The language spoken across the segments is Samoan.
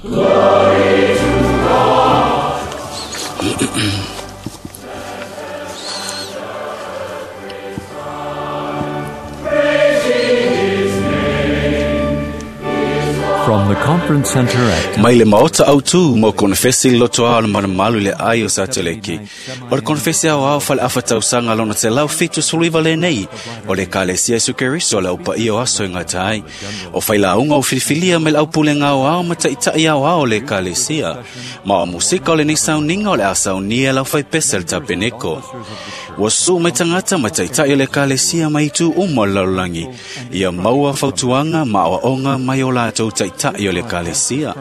From the conference center at Mai le maota autu mo konefesi loto ao le malumalu le ai o Sateleki. O le konefesi ao ao fale afa tausaga lona te lau fitu suliva le nei. O le kalesia Iesu Keriso le aupa ia o aso i ngata ai. O whailaunga o filifilia me le aupulenga o ao ma taitai ao ao le kalesia. Ma o musika o le nei sauninga o le asaunia lau whai pese le tapeneko. Ua su mai tangata ma taitai o le kalesia mai itu uma o le lalolagi. Ia maua fautuaga ma aoaoga mai o latou taitai o le ekalesia.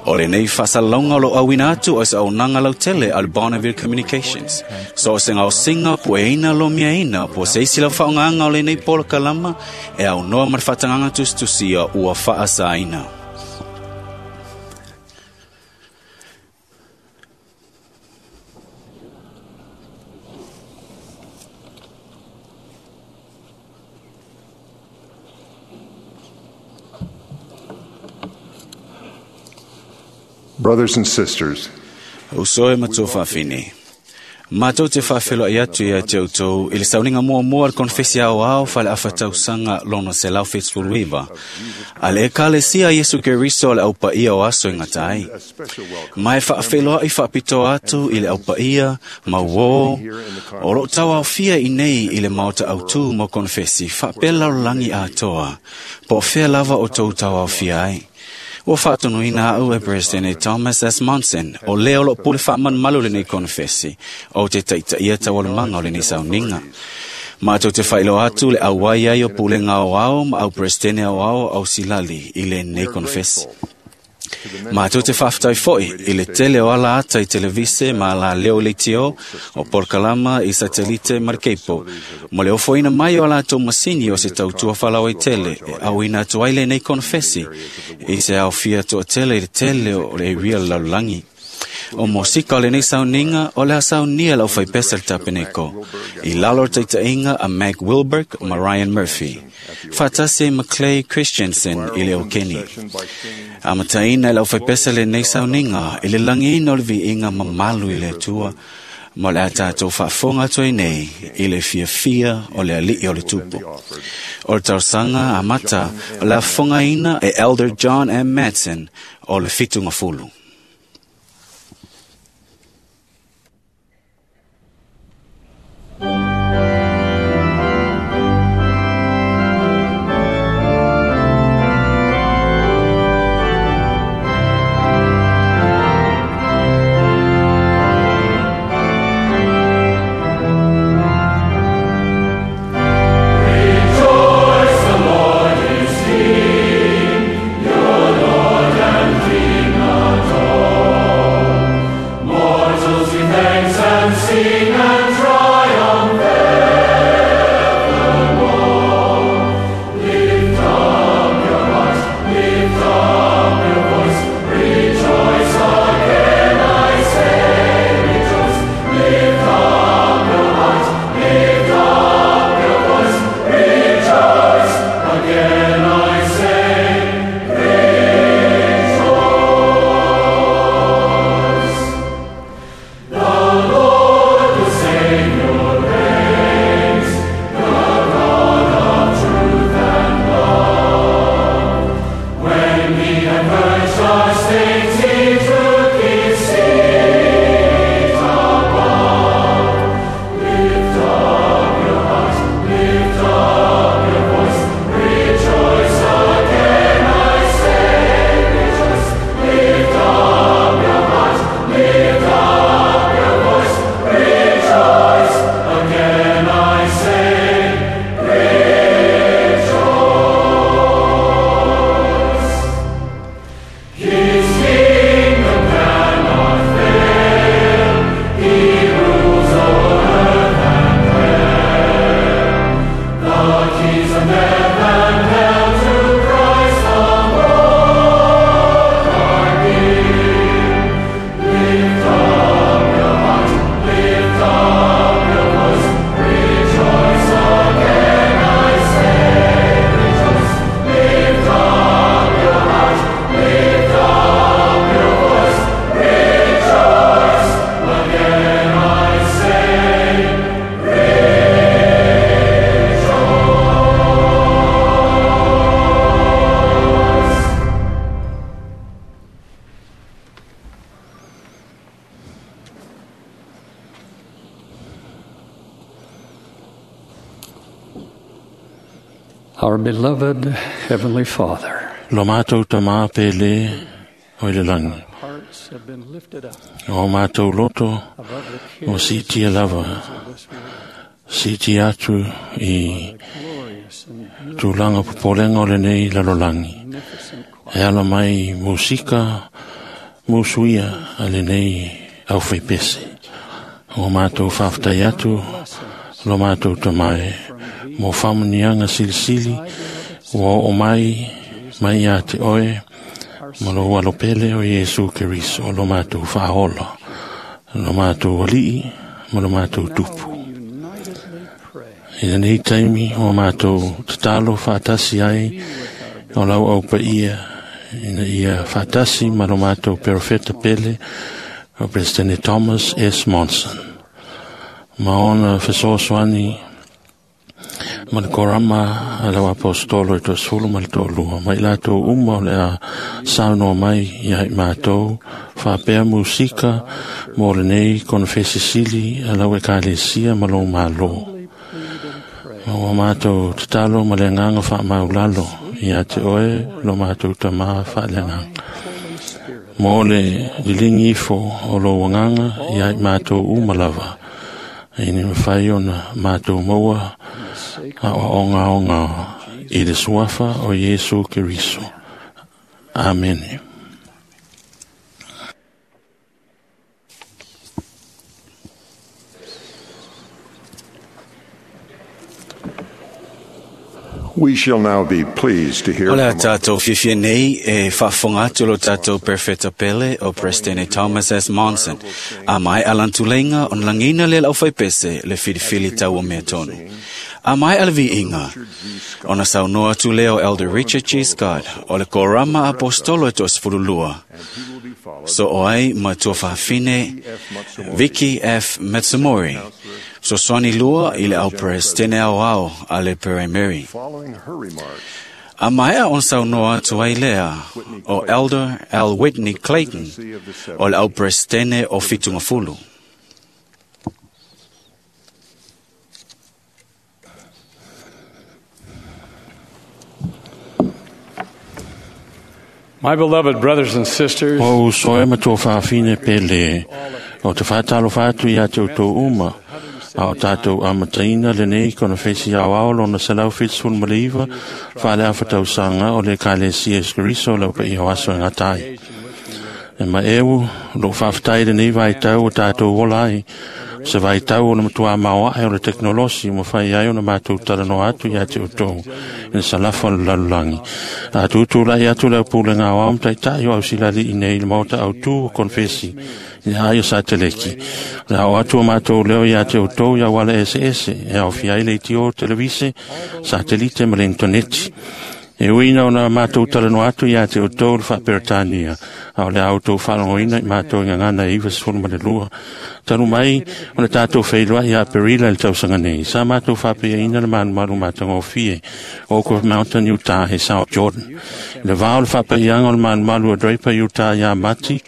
O lenei faasalalauga o loo auina atu o se auaunaga lautele a le Bonneville Communications. So o se gaosiga pueina lomiaina po o se isi lau faaaogaga o lenei polokalama e aunoa ma le faatagaga tusitusia ua faasaina. Brothers and sisters, Uso e matua faafine. Matou te faafeloai atu ia te outou i le sauniga muamua a le konefesi aoao faaleafa tausaga lona 179 a le Ekalesia Iesu Keriso o le aupaia o aso e gata ai. a special welcome Ma e faafeloai faapitoa atu i le aupaia mauō o loo tauaofia i nei i le maota autū mo konefesi faapea lalolagi atoa po o fea lava o tou tauaofia ai. Ua faatonuina au e Presidente Thomas S. Monson, o lea o loo pule faamalumalu lenei konefesi, o te taitaia taualumaga o lenei sauniga. Matou te faailoa atu le auai ai o pulega aoao ma au Presidente aoao au silali i lenei konefesi. Matou te faafetai foi i le tele o ala ata i televise ma ala leo leitio o polokalama i satelite ma le keipo, mo le ofoina mai o a latou masini o se tautua faalauaitele e auina atu ai lenei konefesi i se aofia toatele i le tele o le area o le lalolagi. O mosika o lenei sauniga o le a saunia lau faipese le tapeneko i lalo o le taitaiga a Mac Wilberg ma Ryan Murphy. Faatasi ai ma Clay Christensen i le Okeni. Amataina e lau faipese lenei sauniga i le lagiina o le viiga mamalu i le Atua ma o le a tatou faafofoga atu ai nei i le fiafia o le alii o le tupu. O le talosaga amata o le a fofogaina e Elder John M. Madsen o le Fitugafulu. Rejoice, the Lord is here. Your Lord and King. Our beloved Heavenly Father, Lo mātou tamā pele o i le langi. hearts have been lifted up O mātou loto above the o cares sitia lava, of this world. siti atu i Glorious and beautiful, tulaga popolega o lenei lalolagi. magnificent E ala mai musika musuia a lenei au whaipese. O mātou whawhtai atu lo mātou tamae mo whamanianga silisili ua o mai mai ia te oe ma lo alopele o Iesu Keriso lo mātou whahola lo mātou alii ma lo mātou tupu. We unitedly pray. I lenei taimi o mātou tatalo whaatasi ai o lau au paia ina ia whaatasi ma lo mātou perofeta pele o Presidente Thomas S. Monson. Ma ona fesoasoani ma le korama a lau apostolo i toasefulu ma le toalua. Ma i latou uma o le a saunoa mai ia i mātou faapea musika mo lenei konofesisili a lau ekalesia ma lou mālō. Ma ua mātou tatalo ma le agaga faamaulalo ia te oe lo mātou tamā faaleagaga. Mo le liligi ifo o lou agaga ia i mātou uma lava. Ina mawhai ona mātou maua a o onga i le suafa o Iesu Keriso. Amene. We shall now be pleased to hear O le a from tātou fiafia nei e faafofoga atu lo tātou perfeta pele o Presidente Thomas S. Monson. A mai alantuleiga ona lagiina le laufaipese le filifili tau o mea tonu. A mai alaviiga ona saunoa atu lea o Elder Richard G. Scott o le korama apostolo e toasefululua. So o ai ma tua fahafine Vicky F. Matsumori. Fesoasoani lua i le au Presidente ao ao a le Mary. Following her remarks, A maea on saunoa atu ai lea o Elder L. Whitney Clayton o le au Presidente o Fitungafulu. My beloved brothers and sisters, O uso e matua whaafine pele o te whaatalo whaatu i a te utou uma a o tātou amataina lenei konofesi au ao lona selau whitsful maleiva whaale awhatausanga o le kalesia Iesu Keriso lau pa i o aso e ngā tai. E ma eu, lo whaaftai lenei vai tau o tātou ola ai, se vai tau o le matua maoae o le teknolosi mo whai ai o na mātou talanoa atu i a te utou i le salafa o le lalolagi. A tūtū lai atu leo pule ngā o taitai o au silali i nei le maota au tū o konfesi i le aio sa teleki. Le au atu o mātou leo i a te utou i au ala ese ese e au fiai le itio televise satelite ma le interneti. E uina o nā mātou talanoa atu ia te o tō le whaaperetania, a o le au tō whalangoina i mātou i ngangana e iwa sefulu ma le lua. Talu mai, o le tātou whailua i a Perila i le tausaga nei. Sa mātou whaapeaina le malumalu mātagofie, Oak Mountain, Utah, e South Jordan. I le vā o le whaapeianga o le malumalu o Draper, Utah, ia Mati,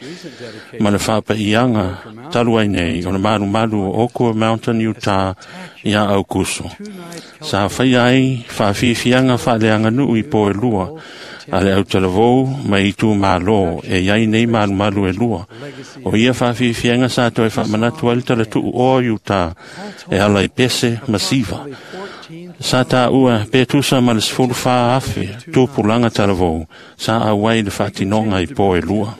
ma le whaapeianga talu ai nei, o le malumalu o Oak Mountain, Utah, ia Aukuso. Sa whai ai, whaafiafianga whaaleanga nuu i po e lua, a le autalavou mai itu mālō e iai nei malumalu e lua. O ia whaafiafianga sa toe whaamanatu ai le talatuu o Utah e ala i pese masiva. Sa tā ua pe tusa ma le sefulu wha afe tupulanga talavou sa auai le whaatinonga i po e lua.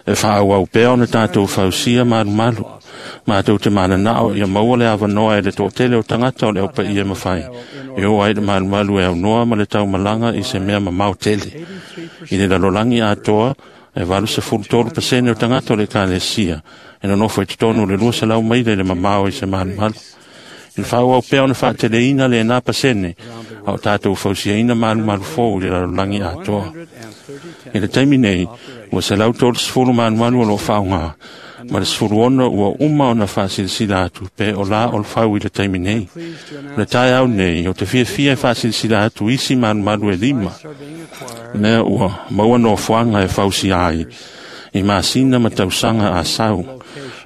E whaauau pea ona tātou fausia malumalu. Mātou te mananao ia maua le awanoa e le tōtele o tangata o le opa ia mawhai. E o ai le malumalu e au noa ma le taumalanga i se mea mamao tele. I le lalolangi atoa e 83% o tangata o le kalesia. E nonofo e totonu le 200 maile le mamao i se malumalu. I le whaauau pea ona whaateleina le nā pasene a o tātou fausiaina malumalu fō i le lalolangi atoa. I le taimi nei, ua 130 malumalu o lo whaonga, ma le 16 ua uma ona whaasilasila atu pe o la o le fau i le taimi nei. Le tae au nei, o te fiafia e whaasilasila atu isi malumalu e lima, mea ua maua nofoaga e fausia ai, i masina ma tausaga a sau,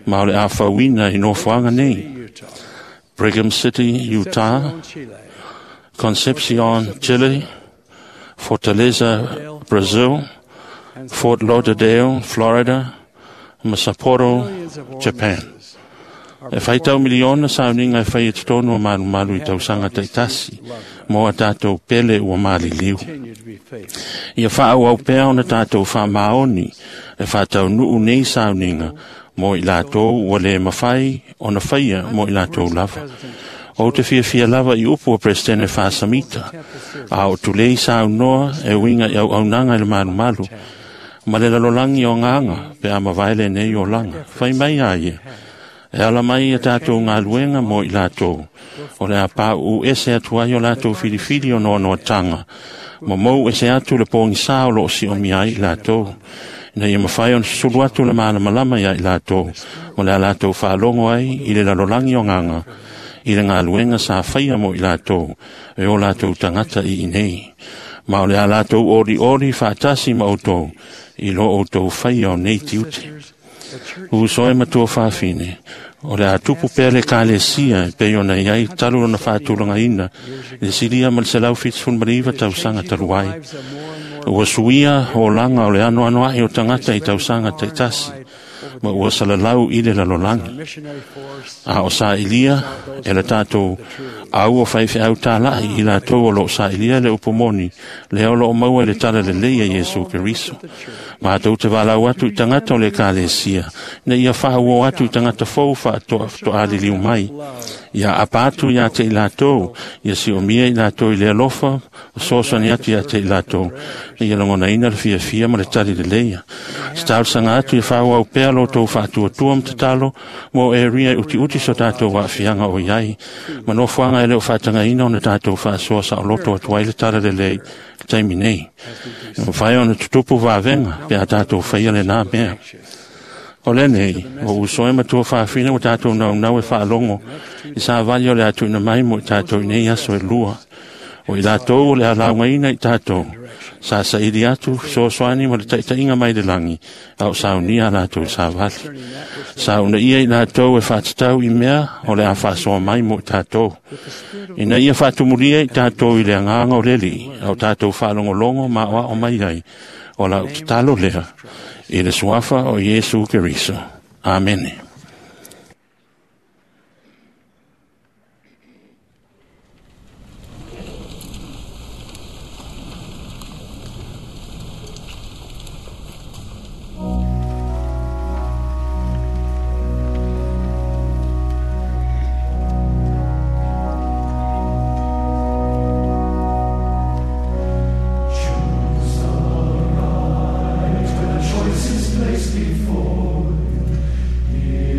ma o le afauina i nofoaga nei. Brigham City, Utah, Concepcion, Chile, Fortaleza, Brazil, Fort Lauderdale, Florida, ma Sapporo, Japan. E whaitau miliona sauniga e whai e totonu o malumalu i tausaga taitasi mo a tātou pele ua maliliu. Ia whaau pea ona tātou whaamaoni e whātaunuu nei sauniga mo i lātou ua le mawhai ona whaia mo i lātou lava. O te fiafia lava i upu o Presidente Whasamita, a o tulei saunoa e winga i au aunaga i le malumalu, ma le lalolagi o ngāga pe a mavae lenei olaga. Fai mai a ia, e ala mai ia tātou galuega mo i latou, o le a pauu ese atu ai o latou filifili o noanoatanga, ma mou ese atu le pogisā o loo siomia ai i latou, ina ia mafai ona susulu atu le malamalama ia i latou, ma le a latou faalogo ai i le lalolagi o gaga, i le galuega sa faia mo i latou, e o latou tagata i inei. Ma o le a latou olioli faatasi ma outou, i lo outou faia o nei tiute. Uso e matua fafine, o le a tupu pea le kalesia e pei ona iai talu ona faatulagaina le silia ma le 179 tausaga talu ai. Ua suia olaga o le anoanoa'i o tagata i tausaga taitasi, ma ua salalau i le lalolagi. A o sa'ilia e le tatou au o faifeau tāla'i i latou o loo sa'ilia le upu moni, lea o loo maua i le tala lelei a Iesu Keriso. Matou te valaau atu i tagata o le ekalesia, ina ia faauo atu i tagata fou faatoaliliu mai, ia apa atu iā te i latou, ia siomia i latou i le alofa, o soasoani atu iā te i latou, na ia lagonaina le fiafia ma le tali leleia. Se talosaga atu ia faaauau pea lo outou faatuatua ma tatalo mo e ria e utiuti so tatou aafiaga o iai, ma nofoaga e le o faatagaina ona tatou faasoa saoloto atu ai le tala lelei le taimi nei. E mafai ona tutupu vavega pe a tatou faia lenā mea. O lenei, o uso e matua fafine ua tātou naunau e faalogo i savali o le atuina mai mo i tātou i nei aso e lua. O i latou o le alaugaina i tātou, sa saili atu fesoasoani ma le taitaiga mai le lagi, a o saunia a latou i savali. Sa una ia i latou e faatatau i mea o le a faasoa mai mo i tātou. Ina ia faatumulia i tātou i le agaga o le Alii, a o tātou faalogologo ma aoao mai ai, o lau tatalo lea, i le suafa o Iesu Keriso. Amene. Choice is placed before you.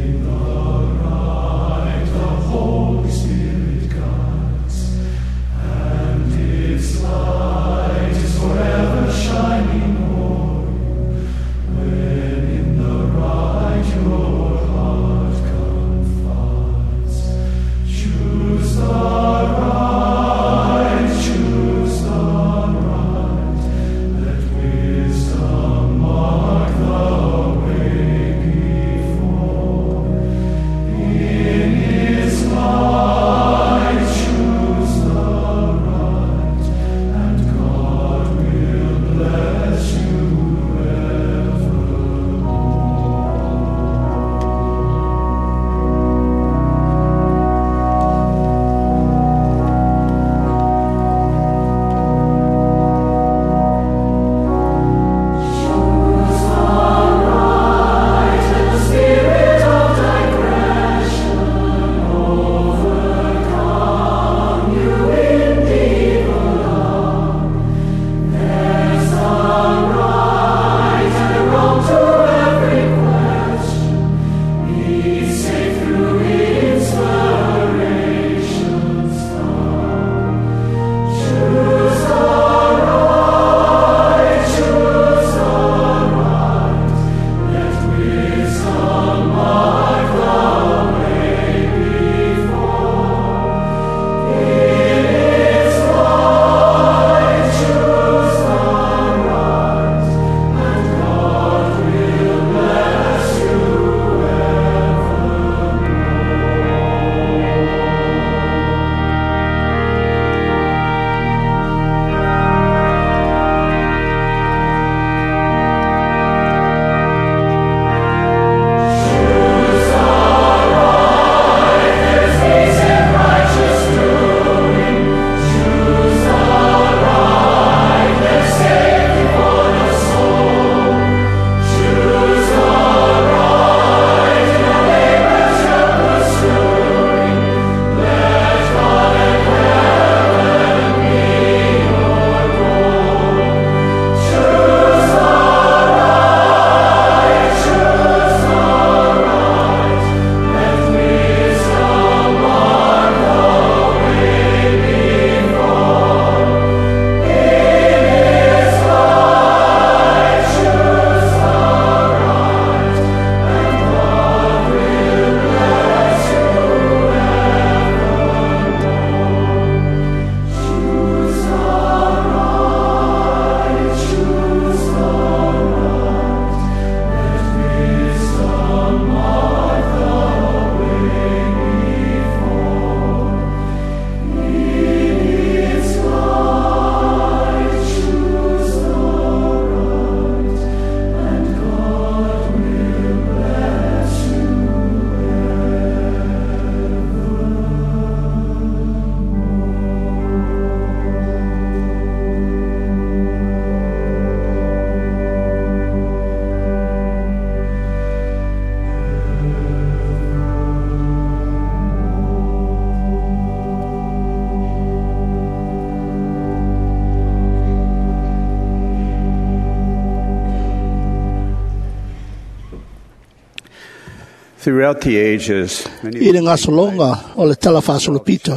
Throughout the ages, many I le gasologa o le tala faasolopito,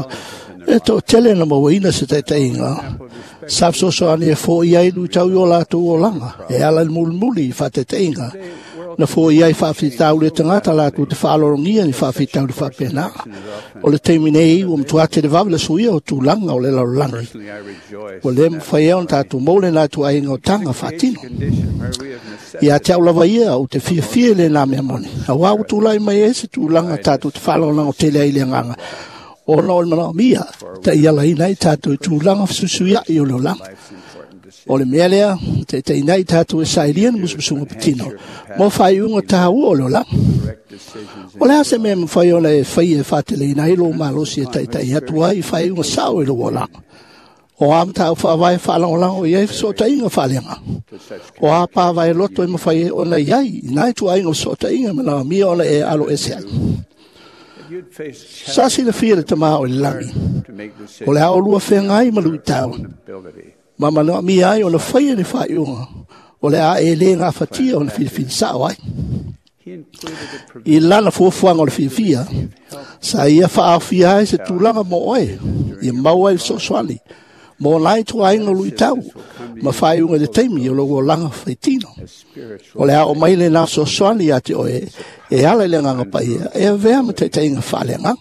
e toʻatele na mauaina se taitaiga sa fesoasoani e foʻi ai luitau i o latou olaga e ala i le mulimuli i faataitaiga na foʻi ai faafitauli e tagata latou te faalologia ni faafitauli faapena. O le taimi nei ua matuā televave le suia o tulaga o le lalolagi. personally I rejoice Ua lē mafai ai ona tatou maua lenā ituaiga o taga faatino. condition where we have necessity Ia te au lava ia ou te fiafia i lenā mea moni. Auā ua tulai mai ai se tulaga tatou te faalagolago tele ai i le agaga. Ona o le manaomia, taʻialaina ai tatou i tulaga fesuisuiaʻi o le olaga. life's important decisions. O le mea lea, taitaiina ai tatou e sailia ni musumusuga patino, mo faaiuga tāua o le olaga. Correct decisions O le a se mea mafai ona e faia e faateleina ai lou malosi e taitai atu ai i faaiuga sao i lou olaga. O a mataupu faavae faalagolago i ai fesootaiga faaleaga. to such O a pavae loto e mafai ai ona i ai i nai tuaiga o fesootaiga manaomia ona e alo ese ai. If you'd face Sa silafia le tamā o le lagi. to make decisions O le a olua feagai ma luitau. ability Ma manaomia ai ona faia le faaiuga. O le a e lē gafatia ona filifili sao ai. he included a provision I lana fuafuaga o le fiafia, sa ia faaofia ai se tulaga mo oe, ia maua ai le fesoasoani, mo nai tuaiga o luitau, ma faaiuga i le taimi o lou olaga faitino. spiritual O le ao mai lenā fesoasoani ia te oe, e ala i le agaga paia, e avea ma taitaiga faaleagaga.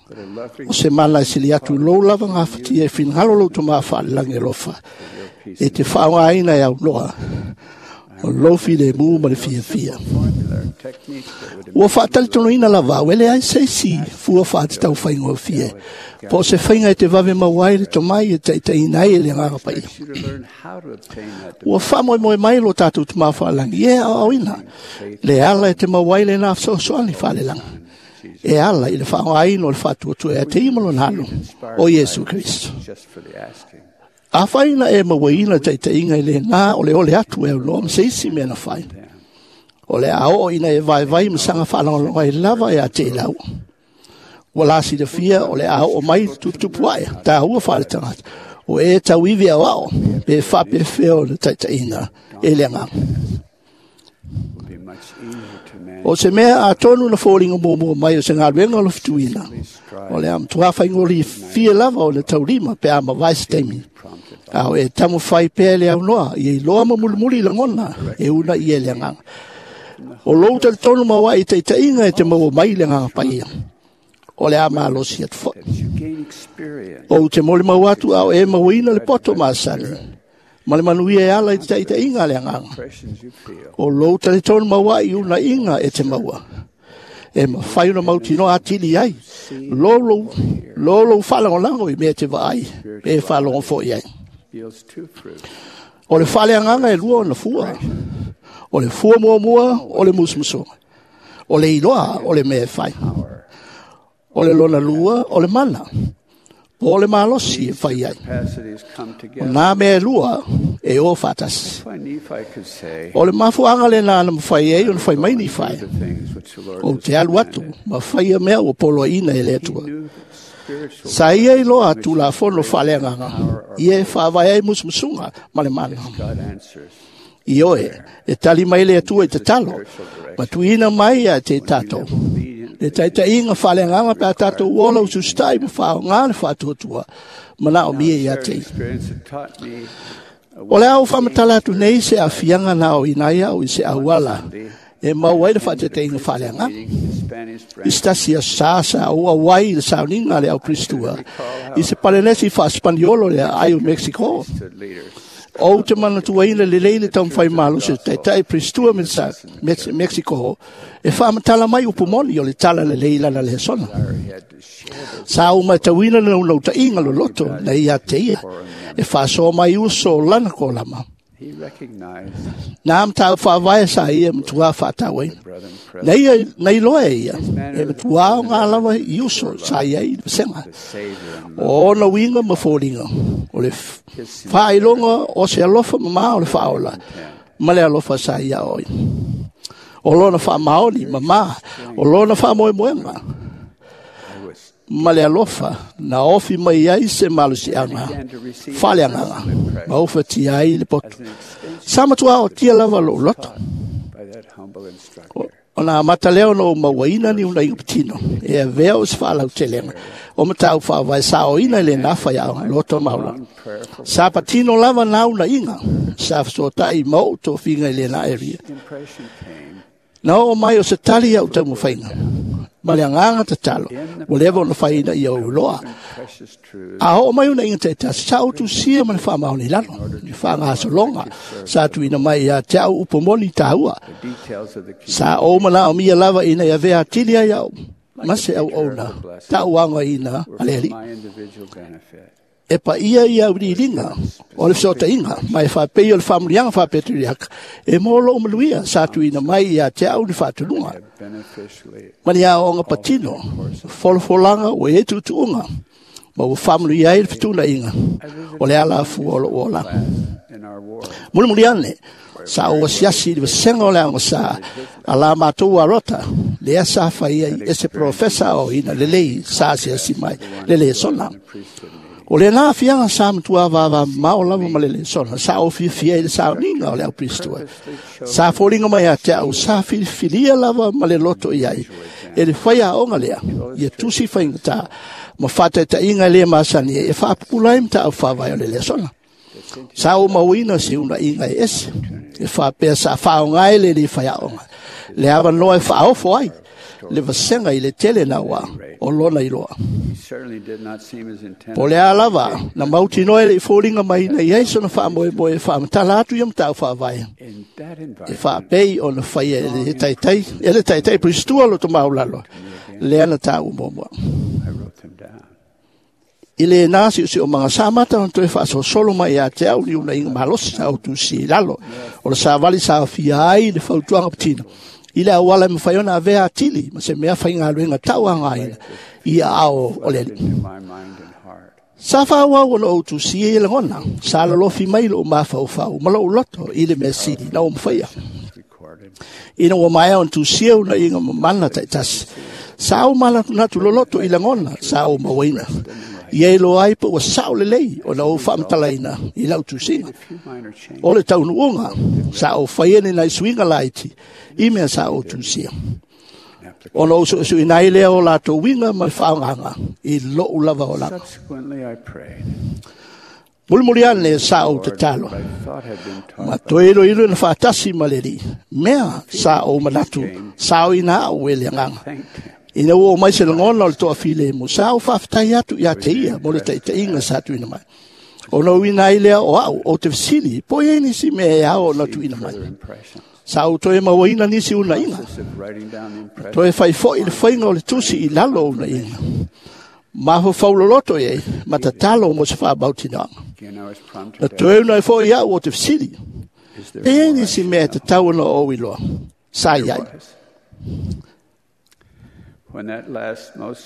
O se mana e sili atu i lou lava gafatia e finagalo lou tamā faalelagi alofa, e te faaaogāina e aunoa, o lou filemu ma le fiafia. formula or technique that would Ua faatalitonuina lava au, e leai se isi fua faatatau faigofie, po o se faiga e te vave maua ai le tomai e taitaiina ai e le agaga paia. you to learn how to obtain that Ua faamoemoe mai lo tatou tamā faalagi, e aoaoina, le ala e te maua ai lenā fesoasoani faalelaga. E ala i le faaaogaina o le faatuatua e te ia ma lona alo, o Iesu Kristo. just for the asking. Afai na e mauaina le taitaiga i lenā o le ole atu e aunoa ma se isi mea na fai. O le a oo ina e vaivai ma saga faalagolago ai lava ia te i lau. Ua la silafia o le a oo mai le tuputupu ae, tāua faale tagata. O e tauivi aoao, pe faapefea o le taitaiga e le agaga. Will be much easier to manage. O se mea atonu na foliga muamua mai o se galuega o le fetuina. O le a matuā faigofie lava o le taulima pe a mavae se taimi. Prompted A o e taumafai pea le aunoa, ia iloa ma mulimuli lagona, e unaʻi e le agaga. O lou talitonu mauaʻi i taitaiga e te maua mai le agaga paia. O le a malosi atu foʻi. that you gain experience Ou te molimau atu a o e mauaina le poto masani. Ma le manuia e ala i te taitaiga a le agaga. impressions you feel O lou talitonu mauaʻi unaʻiga e te maua. E mafai ona mautinoa atili ai. Lou lou faalagolago i mea e te vaai, pe faalogo foʻi ai. yields two fruits O le faaleagaga e lua ona fua. O le fua muamua o le musumusuga. O le iloa o le mea e fai. O le lona lua o le mana. Po o le malosi e fai ai. capacities come O together. nā mea e lua e o faatasi. That's why Nephi could say O le mafuaaga lenā na mafai ai ona fai mai ni fai. the things which the Lord O has te alu atu commanded. ma faia mea ua poloaina e le Atua. He knew that spiritual Sa ia iloa tulafono faaleagaga. Ia e faavae ai musumusuga ma le mana. God answers I oe, e tali mai le Atua i tatalo. Ma tuuina mai ia te tatou. Le taitaiga faaleagaga pe a tatou ola ususitai ma faaaogā le faatuatua. Manaomia ia te ia. experience had taught me a O le au faamatala atu nei se aafiaga na aoina ai au i se auala e maua ai le faataitaiga faaleagaga. meeting in Spanish I branch se tasi aso sa ou auai i le sauniga a le au Kristua. I se palenesi faaspaniolo le aai o Mexico. priesthood leaders Ou te manatuaina lelei le taumafai malosi o taitai Pristua Mexico e faamatala mai upu moni o le tala lelei lana le sona. he had to share those Sa ou matauina le naunautāiga loloto na ia te ia e faasoa mai uso o lana kolama. he recognized Nā matau faavae sa ia matuā faatauaina. brethren present Na ia, na iloa e ia, e matuā o ngā lava i uso sa ia i le vasega. the Savior and O ona uiga ma foliga, o le faailoga o se alofa mamā o le faaola, ma le alofa sa ia oi. O lona faamaoni mamā, o lona faamoemoega, I was ma le alofa na ofi mai ai se malosiaga, began to receive faaleagaga, ma ufatia ai le poto. as an extension Sa matuā o tia lava lou loto. by that humble instructor. Ona amata lea ona ou mauaina ni unaiga patino e avea o se faalautelega o mataupu faavae saoina i lena faiaoga loto maulalo. Sa patino lava na unaiga sa fesoatai ma ou tofiga i lena area. Na oo mai o se tali au taumafaiga ma le agaga tatalo ua leva ona faiina ia ou iloa. A oo mai unaiga taitasi, sa ou tusia ma le faamaoni i lalo i faagasologa sa tuuina mai ia te au upu moni taua. Sa ou manaomia lava ina ia avea atili ai au ma se auauna tauagaina a le Alii. E paia ia auiliiliga o le fesootaiga ma e faapei o le faamuliaga faapetuliaka e mo lou manuia sa tuuina mai ia te au le faatunuga ma ni aoaoga patino folafolaga ua i ai tuutuuga ma ua faamanuia ai le fetuunaiga o le alafua o lou olaga. Mulimuli ane, sa ou asiasi i le vasega o le aoga a la matou arota, lea sa fai ai e se polofesa aoaoina lelei sa asiasi mai le lesona. O lena aafiaga sa matua vavamamao lava ma le lesona, sa ou fiafia i le sauniga o le aupilistua. Sa foliga mai ia te au, sa filifilia lava ma le loto i ai e le faiaoga lea, ia tusi faigata ma faataitaiga e le masani ai e faapupula ai mataupu faavae o le lesona. Sa ou mauina se unaiga e ese, e faapea sa faaaoga ai le alii faiaoga le avanoa e faaofo ai le vasega i le tele naua o lona iloa. Po o le a lava na mautinoa e le i foliga mai ina i ai sona faamoemoe e faamatala atu ia mataupu faavae e faapei ona faia e le taitai e le taitai Pilistua loto maulalo lea na taua muamua. I lena siosiomaga sa amata ona toe faasolosolo mai ia te au ni unaiga malosi sa ou tusi i lalo o le savali sa aofia ai le fautuaga patino i le auala e mafai ona avea atili ma se mea faigaluega tauagaina i aao o le Alii. Sa faaauau ona ou tusia ia lagona, sa lolofi mai lou mafaufau ma lou loto i le mea sili na ou mafaia. Ina ua maea ona tusia unaiga mamana taitasi, sa ou manatunatu loloto i lagona sa ou mauaina. Ia iloa ai po ua sao lelei ona ou faamatalaina i lau tusiga. O le taunuuga, sa ou faia ni nai suiga laiti i mea sa ou tusia. Ona ou suesueina ai lea o latou uiga ma le faaaogaga i lou lava olaga. Mulimuli ane sa ou tatalo, ma toe iloilo na faatasi ma le Alii, mea sa ou manatu saoina au e le agaga. Ina ua oo mai se lagona o le toafilemu, sa ou faafetai atu ia te ia mo le taitaiga sa tuuina mai. Ona uiina ai lea o au, ou te fesili, po o i ai nisi mea e ao ona tuuina mai. Sa ou toe mauaina nisi unaiga, toe fai foi le faiga o le tusi i lalo o unaiga. Mafaufau loloto i ai, ma tatalo mo se faamautinoaga. Na toe unai foi au ou te fesili, pe i ai nisi mea e tatau ona ou iloa. Sa i ai.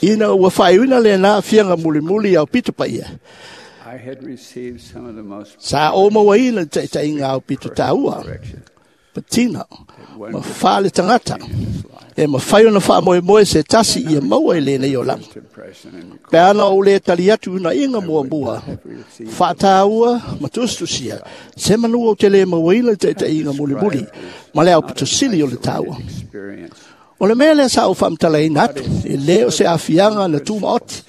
Ina ua faaiuina lena aafiaga mulimuli i aupito paia, sa ou mauaina le taitaiga aupito taua, patina ma faaletagata e mafai ona faamoemoe se tasi ia maua i lenei olaga. Pe ana ou le tali atu i unaiga muamua, faataua ma tusitusia, se manu ou te le mauaina le taitaiga mulimuli ma le aupito sili o le taua. O le mea lea sa ou faamatalaina atu, e le o se aafiaga na tumaoti,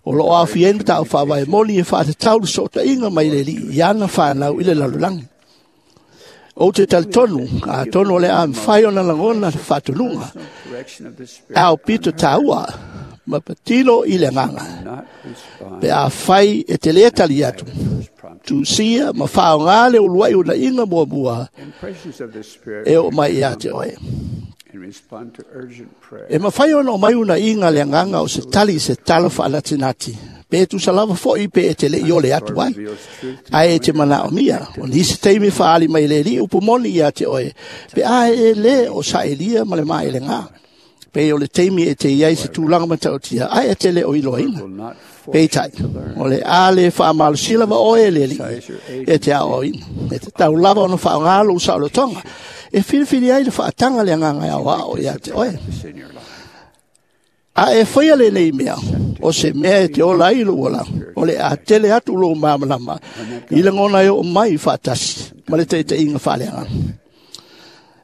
o lo o aofia ai le mataupu faavae moni e faatatau le sootaiga mai le Alii i ana fanau i le lalolagi. Ou te talitonu, atonu o le a mafai ona lagona le faatonuga, aupito taua ma patino i le agaga. Pe afai e te le tali atu, tusia ma faaaoga le uluai unaiga muamua e oo mai ia te oe. E mafai ona omai unaiga le agaga o se tali i se tala faanatinati, pe tusa lava foi pe e te le i ole atu ai. Ae e te manaomia, o nisi taimi faaali mai le Alii upu moni ia te oe, pe a e le o saelia ma le maelega. Pe o le taimi e te i ai se tulaga matautia, ae e te le o iloaina. Peitai, o le a le faamalosia lava oe e le Alii e te aoaoina. E tatau lava ona faaaoga lou saolotoga e filifili ai le faataga le agaga e aoao ia te oe. A e faia lenei mea, o se mea e te ola ai lou olaga, o le a tele atu lou malamalama i lagona e oo mai faatasi ma le taitaiga faaleagaga.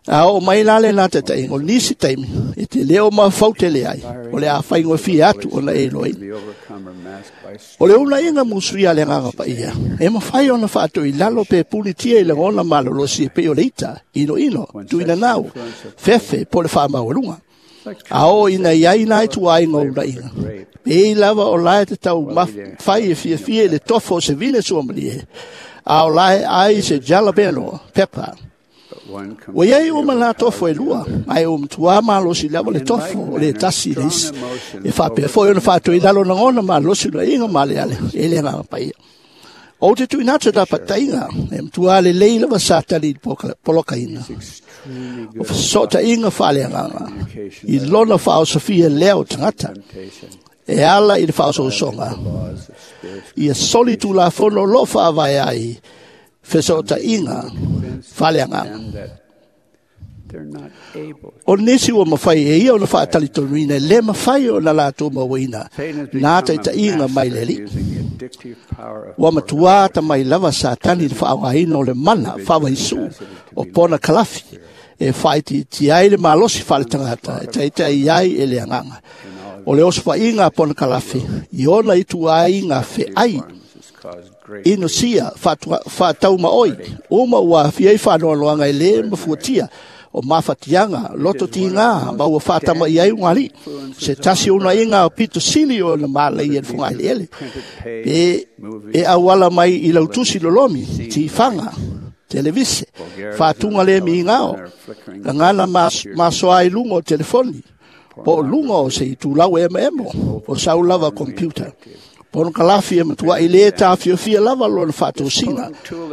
A o mai la le na taitaiga o nisi taimi e te leo mafautele ai o le afaigofie atu ona e iloaina. O le unaiga musuia le agaga paia e mafai ona faatoilalo pe pulitia i lagona malolosi e pei o le ita, inoino, tuinanau, fefe po o le faamaualuga. A o ina iai na ituaiga o unaiga, pei lava o lae te tau mafai e fiafia i le tofo o se vine suamalie, a o lae ai se jalapeno pepper. Ua iai uma la tofo e lua, ae ua matuā malosi lava le tofo o le tasi i le isi. E faapea foi ona faatoilalo lagona malosi unaiga maaleale e le agaga paia. Ou te tuuina atu lapataiga e matuā lelei lava Satani i le polokaina. O fesootaiga faaleagaga i lona faaosofia lea o tagata e ala i le faaosoosoga ia soli tulafono o loo faavae ai fesootaiga faaleagaga. O nisi ua mafai e ia ona faatalitonuina e le mafai ona latou mauaina nā taitaiga mai le Alii. Ua matuā tamai lava Satani i le faaaogaina o le mana faavaisū o pona kalafi e faaitiitia ai le malosi faaletagata e taitai ai e le agaga. O le osofaiga a pona kalafi i ona ituaiga feai inosia faataumaoi uma ua aafia ai faanoanoaga e lē mafuatia o mafatiaga loto tigā ma ua faatama'i ai ugalii. Se tasi unaiga o pito sili ona malaia i le fogaeleele pe e auala mai i lautusi lolomi, tifaga, televise, faatuga le migao, gagana masoa i luga o telefoni, po o luga o se itulau e emaemo, o sau lava computer. Pono kalafi e matuai le tafiofia lava lona faatosina,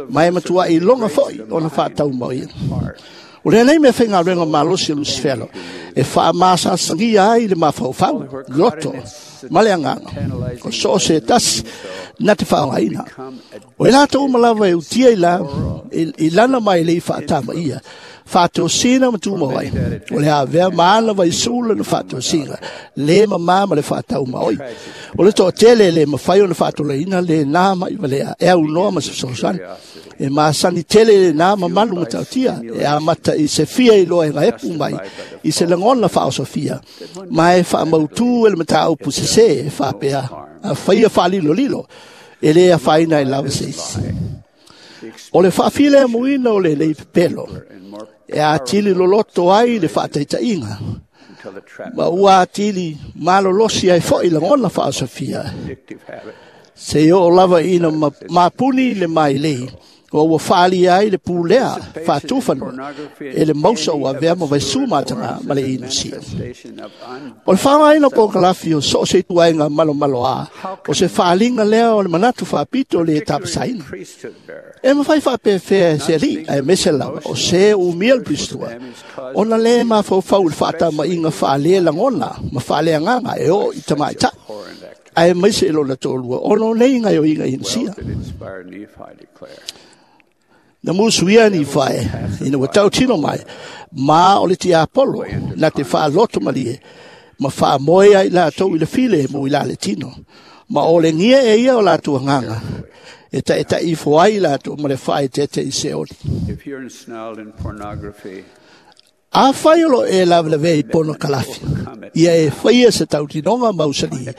ma e matuai loga foi ona faataumaoia. O lenei mea faigaluega malosi o Lusifelo e faamasasagia ai le mafaufau, loto ma le agaga o so o se tasi na te faaaogaina. O i latou uma lava e utia i lana mai lei faatamaia, faatosina ma tumau ai. O le avea ma ana vaisū lana faatosina, le mamā ma le faataumaoi. O le toatele le mafai ona faatolaina le nā mai valea e aunoa ma se fesoasoani. E masani tele le nā mamalu matautia e amata i se fia iloa e gaepu mai i se lagona faaosofia, ma e faamautū e le mataupu sesē e faapea a faia faalilolilo e lē afaina ai lava se isi. O le faafilemuina o le lei pepelo e atili loloto ai le faataitaiga ma ua atili malolosi ai foi lagona faaosofia se oo lava ina mapuni le mailei o ua faalia ai le pulea faatufanua e le mausa ua avea ma vaisū mataga ma le inosia. O le faaaogaina o pokalafi o so o se ituaiga malomaloā o se faaliga lea o le manatu faapito le tapasaina. E mafai faapefea e se alii aemaise lava o se umia le piristua ona lē mafaufau i le faatama'iga faale lagona ma faaleagaga e oo i tamaita'i aemaise i lona toalua ona o nei gaoioiga inosia. Na musuia ni fae ina ua tautino mai ma o le tiapolo na te faaloto malie ma faamoe ai latou i le file mo i la le tino. Ma o le gia e ia o latou agaga e taʻitaʻifo ai latou ma le faaeteete i Seoli. Afai o lo e lavelavea i pono kalafi, ia e faia se tautinoga mausali,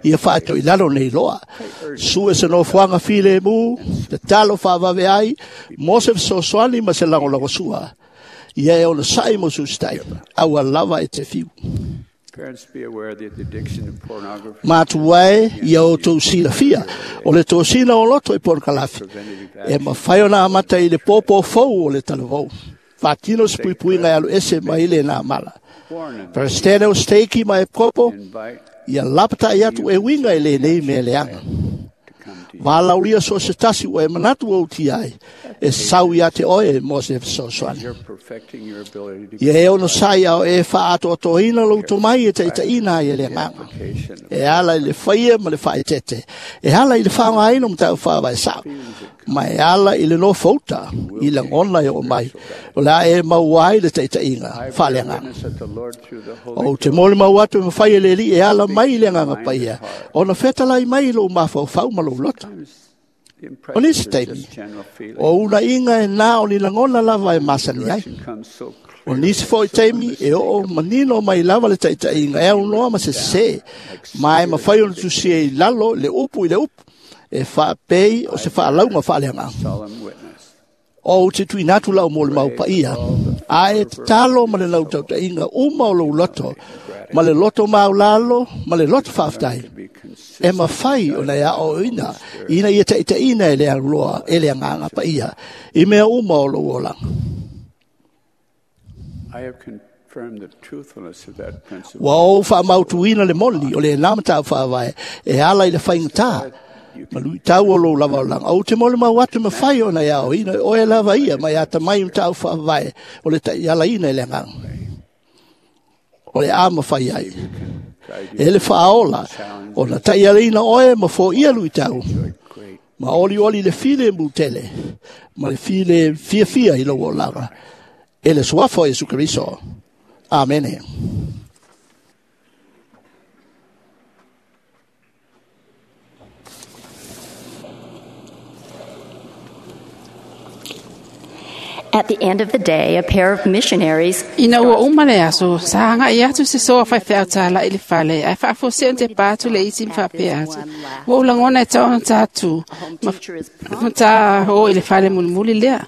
ia faatoilalo nei loa. Sue se nofoaga filemu, tatalo faavave ai, mo se fesoasoani ma se lagolagosua, ia e onosa'i mo susitai, aua lava e te fiu. Matuae ia outou silafia o le tosina o loto i pono kalafi, e mafai ona amata i le pōpō fou o le talavou. Faatino se puipuiga e alu ese mai le nā mala. Peresetene o steiki ma e kopo, ia lapata'i atu e uiga i lenei mea leaga. Valaulia so se tasi ua e manatu o utia ai, e sau ia te oe mo se fesoasoani. Ia e ono sai ao e faatoatoina lou tomai e taitaiina ai e le agaga. E ala i le faia ma le faaetete, e ala i le faaaogaina o mataupu faavae sa'o, ma e ala i le nofouta i lagona e oo mai, o le a e maua ai le taitaiga faaleagaga. Ou te molimau atu e mafai e le Alii e ala mai i le agaga paia, ona fetalai mai i lou mafaufau ma lou loto. O nisi taimi, o unaiga e nā o ni lagona lava e masani ai. O nisi foi taimi e oo manino mai lava le taitaiga e aunoa ma sesē, ma e mafai ona tusia i lalo le upu i le upu, e faapei o se faalauga faaleagaga. O ou te tuuina atu lau molimau paia, a e tatalo ma le lautautaiga uma o lou loto, ma le loto maulalo, ma le loto faafetai, e mafai ona e aoaoina ina ia taitaiina e le auloa e le agaga paia i mea uma o lou olaga. Ua ou faamautuina le moni o lena mataupu faavae e ala i le faigata ma luitau o lou lava olaga. Ou te molimau atu e mafai ona e aoaoina e oe lava ia mai atamai i mataupu faavae o le taialaina e le agaga. O le a mafai ai e le faaola ona taialaina oe ma foia luitau ma olioli le file mutele ma le file fiafia i lou olaga e le suafa o Iesu Keriso. Amene. At the end of the day, a pair of missionaries Ina ua uma le aso, sa hanga i atu se soa whai whea tāla i le fale, ai whaafo te pātu le isi mwhapea atu. Ua ulangona e taona tātu, ma tā ho i le fale mulimuli lea.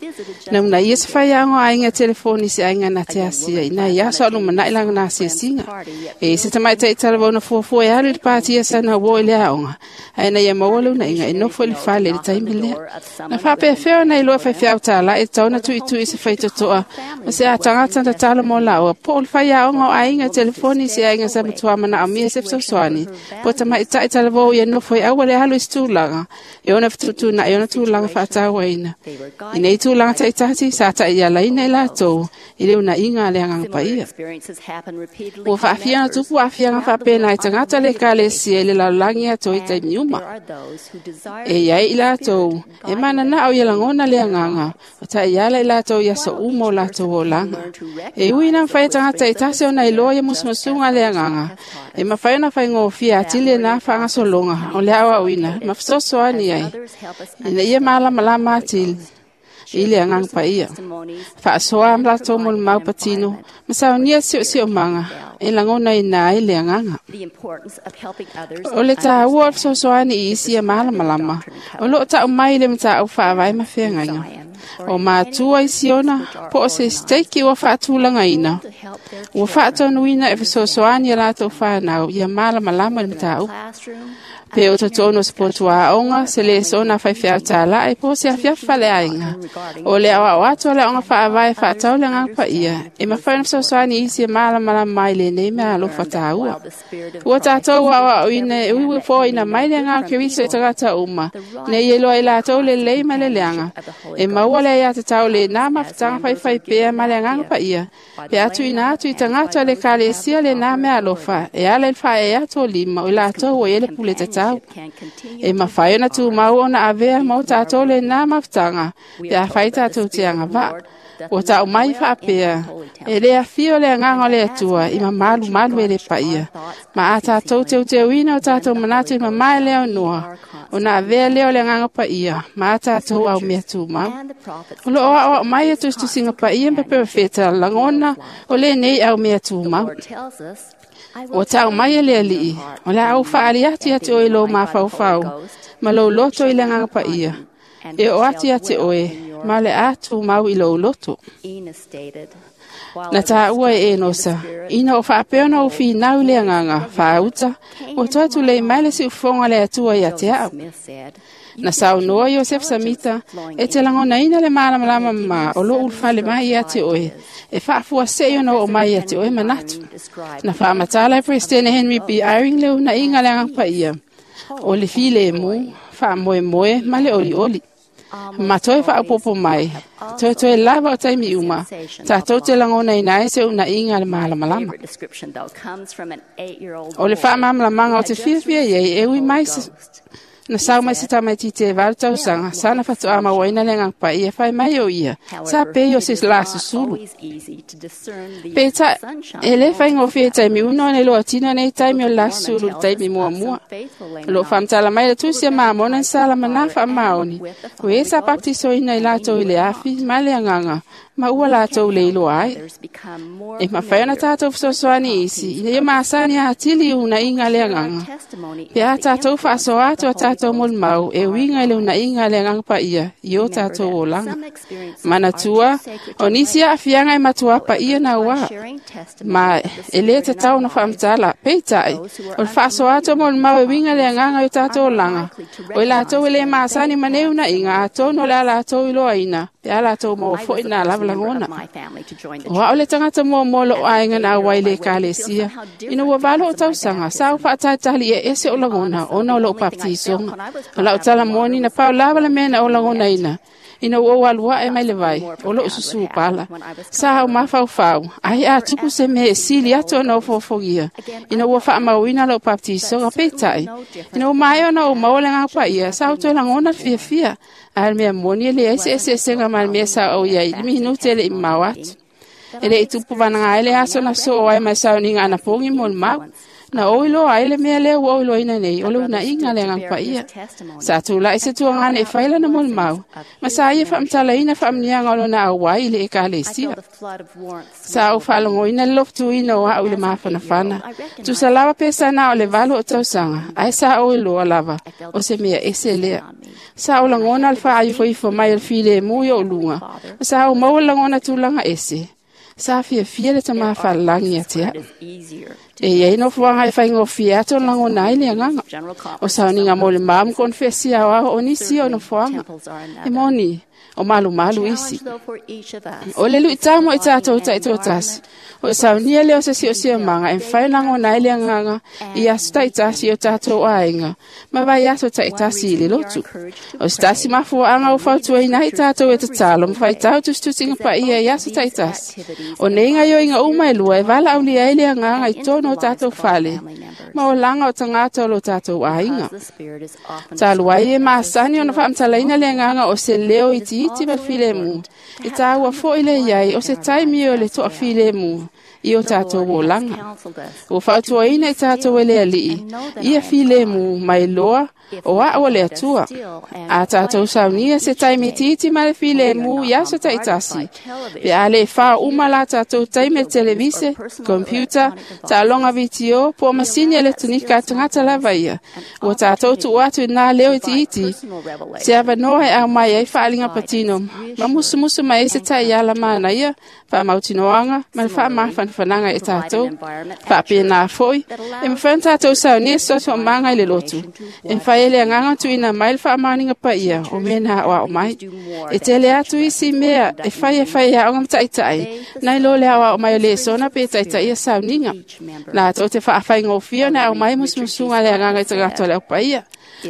Na una ia se whai ango ainga telefoni se ainga na te asia, ina i aso alu manai langa na asia singa. E se tamai tai tala wauna fuafua e alu i le pātia sa na wo i le aonga. Ai na ia maua le una inga e nofo i le fale i le taimi lea. Na whapea whea na iloa whai whea tāla e taona tui tui se whaitotoa. Ma se a tangata na tala mo laua. Po o le whai aonga o ainga telefoni se ainga sa matua mana au mia se fesoasoani. Po tamai tai tala wau ia nofo i aua le alu i tūlaga. E ona whatutu na e ona tūlaga whaatawaina. I nei tūlaga taitati sa tai ia laina i lātou i le una inga le anganga paia. Ua whaafia na tupu afianga whapena i tangata le kalesia i le lalangi ato i taimi uma. E iai i lātou, e mana na au ia langona le anganga, o tai iala i lātou ia so umo o lātou o langa. E ui na mwhai tangata i tase ona i loa ia musumusunga le anganga. E mawhai ona whai ngōwhia atile nā whangasolonga o le awa uina, mawhisosoani ai. Ina ia malamalama atili i le anganga paia. Whaasoa am lātou mo le mau patino, ma saunia sio sio manga, e langona i nā i le anganga. O le tā ua o fesoasoani i isi ia malamalama, o loo tau mai le matau whaawai ma whengainga. O mātua i siona, po o se steiki ua whaatulanga ina. Ua whaatonuina e fesoasoani a lātou whanau ia malamalama le matau. Pe o tatono se potua aonga, se le sona whai whiau tāla e po se awhia whale ainga. O le awa o atu le onga whaawai whaatau le ngā pa ia. E mawhai na fesoasoani isi e malamalama mai le nei mea alofa tāua. Ua tātou awa o ina e uiwe fo ina mai le ngā keriso e tagata uma. Nei e loa i lātou le lei ma le leanga. E maua le ia te tau le nā mawhitanga whai whai pea ma le ngā pa ia. Pe atu ina atu i tangata le kalesia le nā mea alofa. E ala i whae e ato lima o i lātou o ele pule te tau. E mawhai ona tū mau ona avea mau tātou le nā mawhitanga, pe a whai tātou te anga vā. O tau mai whaapea, e le awhio le anganga o le atua, i mamalu malu e le paia. Ma a tātou te uteuina o tātou manatu i mamae leo noa, o nā avea leo le anganga paia, ma a tātou au mea tū mau. O loo ao mai e tustusinga paia mpe wheta langona o le nei au mea tū mau. O tau mai e le alii, o le au whaali atu atu oe lo mawhauwhau, ma lo loto i le nganga paia. E o atu atu oe, ma le atu mau i lo loto. Na tā ua e enosa, ina o whaapeona o whinau le anganga, whaauta, o toatu le mai le si ufonga le atua i ate au. Na saunoa Iosef Samita, e te langona ina le malamalama ma o lo ulfale mai ia te oe, e whaafua se ona o mai ia te oe manatu. Na whaamatala e President Henry B. Eyring le una inga le angapa ia, o le file e mu, whaamoe moe, ma le oli oli. Ma toe whaapopo mai, toe toe lava o taimi uma, tātou te langona ina e se una inga le malamalama. O le whaamamalamanga o te fiafia iei e ui mai se Na sau mai se tamaiti te valu tausanga, sana whatoa mawaina le ngangpa ia whai mai o ia, sa pe o se la susulu. Pe ta, e le whai ngōwhi e taimi uno ne loa tino nei taimi o la susulu taimi mua mua. Lo whamtala mai le tusia maamona sala manafa maoni, o e sa baptiso ina i lātou i le afi, ma le anganga, Ma ua latou le iloa ai. E mafai ona tatou fesoasoani isi, ina ia masani atili i unaiga a le Agaga. Pe a tatou faasoa atu a tatou molimau e uiga i le unaiga a le Agaga Paia i o tatou olaga. Manatua, o nisi aafiaga e matuā paia nauā, ma e lē tatau ona faamatala. Peitai, o le faasoa atu o molimau e uiga i le Agaga i o tatou olaga, o i latou e lē masani ma nei unaiga, atonu o le a latou iloaina pe a latou maua foi na lava lagona. O a'u le tagata muamua o lo'u aiga na auai i le ekalesia. Ina ua 8 o'u tausaga, sa ou faatalitali e ese o'u lagona ona o lo'u papatisoga. O la'u tala moni na pau lava le mea na ou lagonaina ina ua ou alu a'e mai le vai, o lo'u susū pala. Sa ou mafaufau, ai a tupu se mea e sili atu ona ou fofogia, ina ua faamauina lo'u papatisoga. Peitai, ina ua maea ona ou maua le Agaga Paia, sa ou toe lagona le fiafia, ae o le mea moni e leai se eseesega ma le mea sa ou iai i le minute e le'i mamao atu. E le'i tupu vanaga ai le aso na soo ai ma le sauniga anapogi molimau. Na ou iloa ai le mea lea ua ou iloaina nei, o le unaiga a le Agaga Paia. Sa tula'i se tuagana e fai lana molimau, ma sa ia faamatalaina faamuniaga o lona auai i le ekalesia. Sa ou faalogoina le lofutuina o a'u i le mafanafana. Tusa lava pe sa na o le 8 o'u tausaga, ae sa ou iloa lava o se mea ese lea. Sa ou lagona le faaifoifo mai o le filemu i o'u luga, ma sa ou maua le lagona tulaga ese. Sa fiafia le tamā faalelagi ia te a'u. E iai nofoaga e faigofie atu ona lagona ai le Agaga. O sauniga molimau ma konefesi aoao o nisi o nofoaga. E moni, o malumalu isi. O le lu'itau mo i tatou ta'itoatasi, o e saunia lea o se si'osi'omaga e mafai ona lagona ai le Agaga i aso ta'itasi i o tatou aiga ma vaiaso ta'itasi i le lotu. O se tasi mafua'aga ua fautuaina ai tatou e tatalo ma faitau tusitusiga paia i aso ta'itasi. O nei gaoioiga uma e lua e valaaulia ai le Agaga i totonu o tatou fale ma olaga o tagata o lo tatou aiga. Talu ai e masani ona faamatalaina le Agaga o se leo itiiti ma le filemu, e tāua fo'i le iai o se taimi o le to'afilemu i o tatou olaga. Ua fautuaina i tatou e le Ali'i, ia filemu mai loa o a'u o le Atua. A tatou saunia se taimi itiiti ma le filemu i aso ta'itasi, pe a lē fao uma la tatou taimi e le televise, kompiuta, taaloga vitio, po o masini eletonika a tagata lava ia, ua tatou tu'u atu inā leo itiiti, se avanoa e aumai ai faaaliga patino ma musumusu mai ai se ta'iala manaia, faamautinoaga ma le faamafanafanaga e tatou. Faapenā fo'i, e mafai ona tatou saunia se soso'omaga i le lotu, e mafai e le Agaga tuuina mai le faamaoniga paia o mea na aoao mai. E tele atu isi mea e fai e aoga ma ta'ita'i, nai lo le aoao mai o lesona pe ta'itaʻia sauniga. Latou te faafaigofie ona aumai musumusuga a le Agaga i tagata o le aupaia.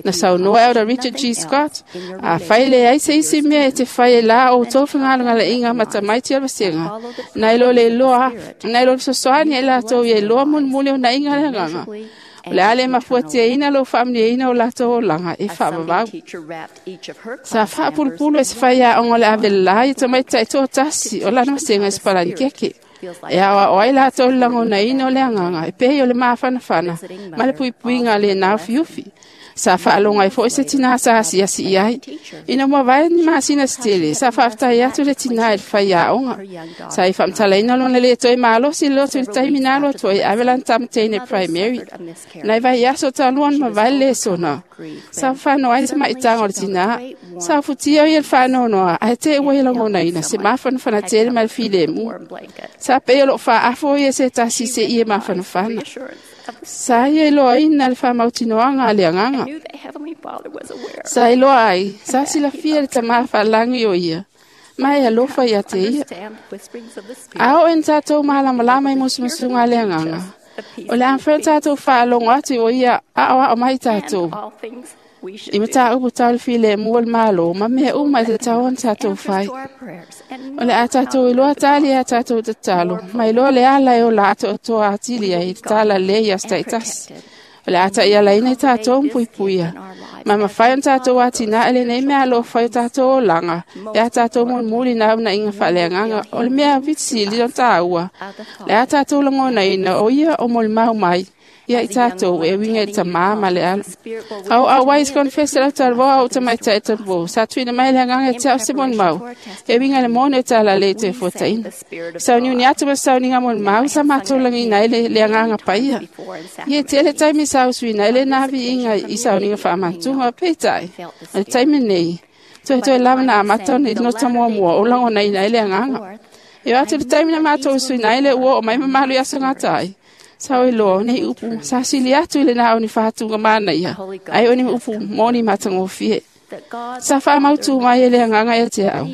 Na saunoa Elder Richard G. Scott, a fai le ai se isi mea e te fai e la outou fegalagala'iga ma tamaiti o le vasega, nai lo le iloa, nai lo le fesoasoani ai latou ia iloa mulimuli unaiga a le Agaga. O le a le mafuatiaina lou faamuniaina o latou olaga e faavavau. Sa faapulupulu e se faiaoga o le avelelā ia tamaiti ta'itoatasi o lana vasega i Sipalanikeke. E aoao ai latou le lagonaina o le Agaga e pei o le mafanafana ma le puipuiga a lenā ufiufi. Sa faalogo ai fo'i se tinā sa asiasi i ai. Ina ua mavae ni masina se tele, sa faafetai atu le tinā i le faiaoga. Sa i faamatalaina lona lē toe malosi i le lotu i le taimi na alu atu ai ave lana tamateine primary. Nai vaiaso talu ona mavae le lesona, sa fafano ai le tamaitaga o le tinā. Sa ufutia o ia le faanoanoa, ae te'i ua ia lagonaina se mafanafana tele ma le filemu. Sa pei o lo'o fa'aafo ia se tasi se'i e mafanafana. Sa ia iloaina le faamautinoaga a le Agaga. Sa iloa ai, sa silafia le tamā faalagi o ia, ma e alofa ia te ia. A oo ina tatou malamalama i musumusuga a le Agaga, o le a mafai ona tatou faalogo atu o ia a'oa'o mai tatou i mataupu tau le filemu o le Malo ma mea uma e tatau ona tatou fai. O le a tatou iloa tali a tatou tatalo, ma iloa le ala e ola atoatoa atili ai le talalelei i aso ta'itasi. O le a ta'ialaina i tatou ma puipuia, ma mafai ona tatou atina'e lenei mea alofa i o tatou olaga, pe a tatou mulimuli na unaiga faaleagaga. O le mea aupito sili ona tāua, le a tatou lagonaina o ia o molimau mai, Ia i tātou e winga i tamā ma le alo. Au au wais konfese lau talvoa au tamaitai talavou. Sa tuina mai le agaga te au se molimau. E winga le moni o tala le te fuataina. Sauniuni atu ma sauniga molimau sa mātou lagiina ai le agaga paia. Ia tele taimi sa usuina ai le na viiga i sauniga faamatuga peitai. O le taimi nei, toe lava na amata ona i nota muamua o lagonaina ai le agaga. E o atu le taimi na mātou usuina ai le ua o mai mamalu i aso gata ai. Sa oi loa nei upu sa sili atu i le na o ni whātunga mana ia. Ai o ni upu moni matangofie. Sa whaamautu mai e le anganga e te au.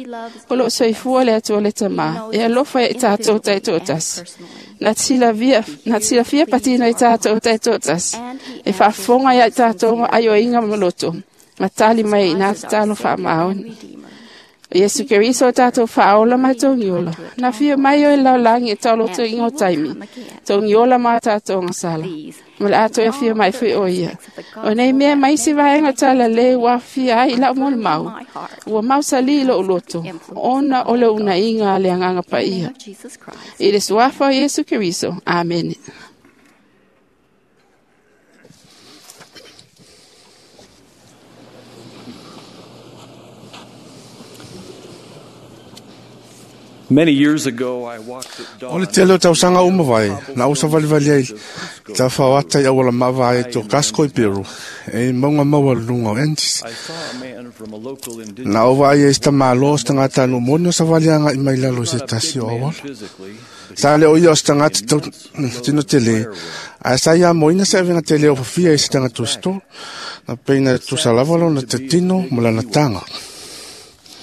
O loo soifua le atua le tamā. E alofa e tātou tai tōtasi. Na tila fia patina i tātou tai tōtasi. E whaafonga ia tātou ma aio inga maloto. Ma tali mai i nā te talo whaamaoni. Iesu Keriso tātou whaola mai tōngiola. Nā whia mai o e laulangi e tauloto i ngō taimi. Tōngiola mā tātou ngā sala. Ma le āto e whia mai fui o ia. O nei mea mai si vaenga tala le wā whia ai lau mole mau. Ua mau sali i lo uloto. Ona o le una inga le anganga pa ia. I le suafa o Iesu Keriso. Amen. Many years ago, I walked at dawn. O le tele o tausaga uma vai, na usa valivali ai, ta whawata i awala mawa ai tō Kasko i Peru, e maunga maua lunga o Andes. I saw a man from a local indigenous Na ova ai e sta malo o stangata no moni o sa valianga i mai lalo i se Not a tasi big o man awala. physically, but he Sa le o ia o stangata tau tino tele, a sa ia moina sa avenga tele o fafia i se tangata sto, na peina tu sa lava lo na te tino ma lana tanga.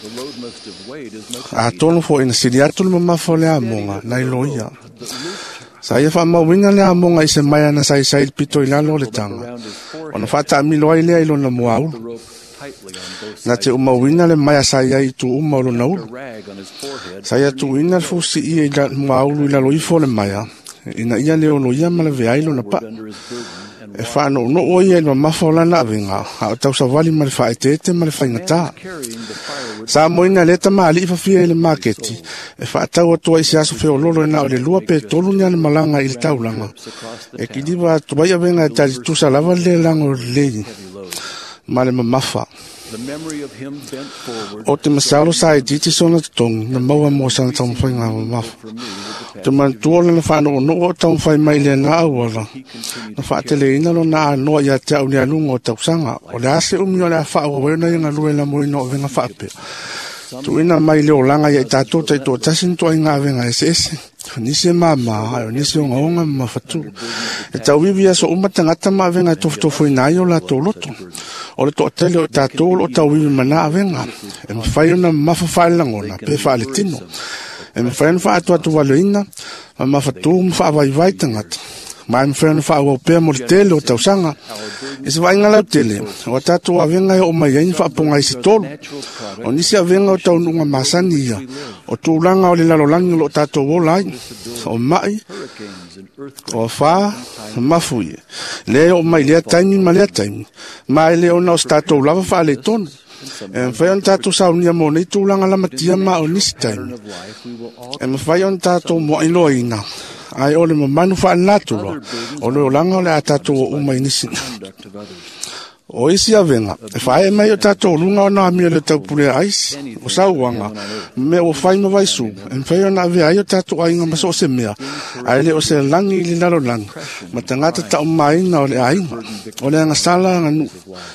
the load must have weighed as much A tonu fo ina sili atu le mamafa o le amonga, na ilo ia. Sa ia whaamauina le amonga i se mai ana sai sai pito i lalo o le tanga. Ona whataamilo ai lea i lona mua the ulu. rope tightly on both Na sides. te umauina le mai a sai ai i tu uma o lona A ulu. rag on his forehead. Sa ia tuina le fusi i la mua ulu i lalo ifo le maia. Ina ia le ono ia ma le vea i lona pa. Under his burden and E whaano no o ia i mamafa o lana avenga. A o tausavali ma le whaetete ma le whaingata. carrying the firewood Sa moina le tama ali fafia i le maketi. E whaatau atua i se aso feololo e na o le lua pe tolu ni ana malanga i le taulanga. E kiliwa atu ai avenga e tali tusa lava le lango lei. Ma le mamafa. The memory of him bent forward O te masalo sa e titi sona totongi na maua mo sana taumawhai ngā mamafa. for me with the Te mantua lana whaano o noo o taumawhai mai le nā awala. Na whaatele ina lo nā anoa ia te au ni alunga o tausanga. O le ase umi o le a whaa o wena i ngā lue la moina o venga whaapea. Tuina mai le olanga ia i tātou tai tō tasi ni toa i ngā venga ese ese. Nisi e māmā, ai o nisi o ngaonga ma whatu. E tauiwi aso uma tangata ma avenga e tofutofo i nā i o lātou loto. O le toatele o tātou o tauiwi mana avenga. E mwhai ona mafa whaelangona, pe whaale tino. E mwhai ona whaatu atu waloina, ma mawhatu ma whaavaivai tangata. Ma e mwhai ona whaawau pea mo le tele o tausanga. E se vainga lau tele, o tātou avenga e o mai ai ni whaaponga i se tolu. O nisi avenga o taununga masani ia, o tūlanga o le lalolangi o lo tātou o lai, o mai, hurricanes and earthquakes. o whā, mafui. Le o mai lea taimi ma lea taimi. Ma e le ona o se tātou lava wha le tonu. E mwhai ona tātou saunia mō nei tūlanga lamatia ma o nisi taimi. Of life, we will all E mwhai ona tātou moa iloa ina. Ai o le mamanu wha nāturo. O le olanga o le a tātou o uma i nisi. conduct of others. O isi avenga, e whae mai o tātou lunga o nā mea le taupule a aisi, o sauanga, me o whai ma vaisu, e mwhai ona avea ai o tātou ainga maso o se mea, ai le o se langi i le lalo langi, ma tangata tau maina o le ainga, o le anga sala anga nu,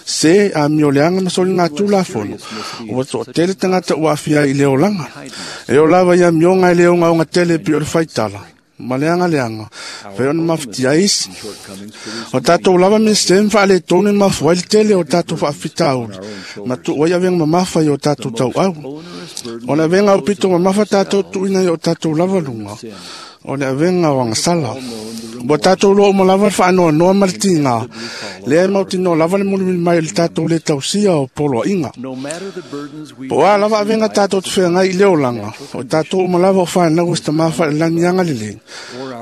se a mi o le anga masoli ngā tūla fono, o wato o tele tangata ua afia i le olanga, e o lava ia mionga i le onga onga tele pi o le whaitala, ma le anga le anga, whai ona mawhiti aisi, Shortcomings O produce tātou lava me se mwha le tōne mawhai le tele o tātou whaafita auri. Ma tu oi avenga mamafa i o tātou tau au. onerous burden O le avenga o pito mamafa tātou tuina i o tātou lava lunga. O le avenga o angasala. Bo tātou lo o lava le whaanoa noa ma le tinga. Lea e mautino lava le mulimuli mai le tātou le tausia o polo inga. No matter the burdens we Po a lava avenga tātou te whengai i leo langa. O tātou uma lava o whanau o se tamafa le langi anga le le.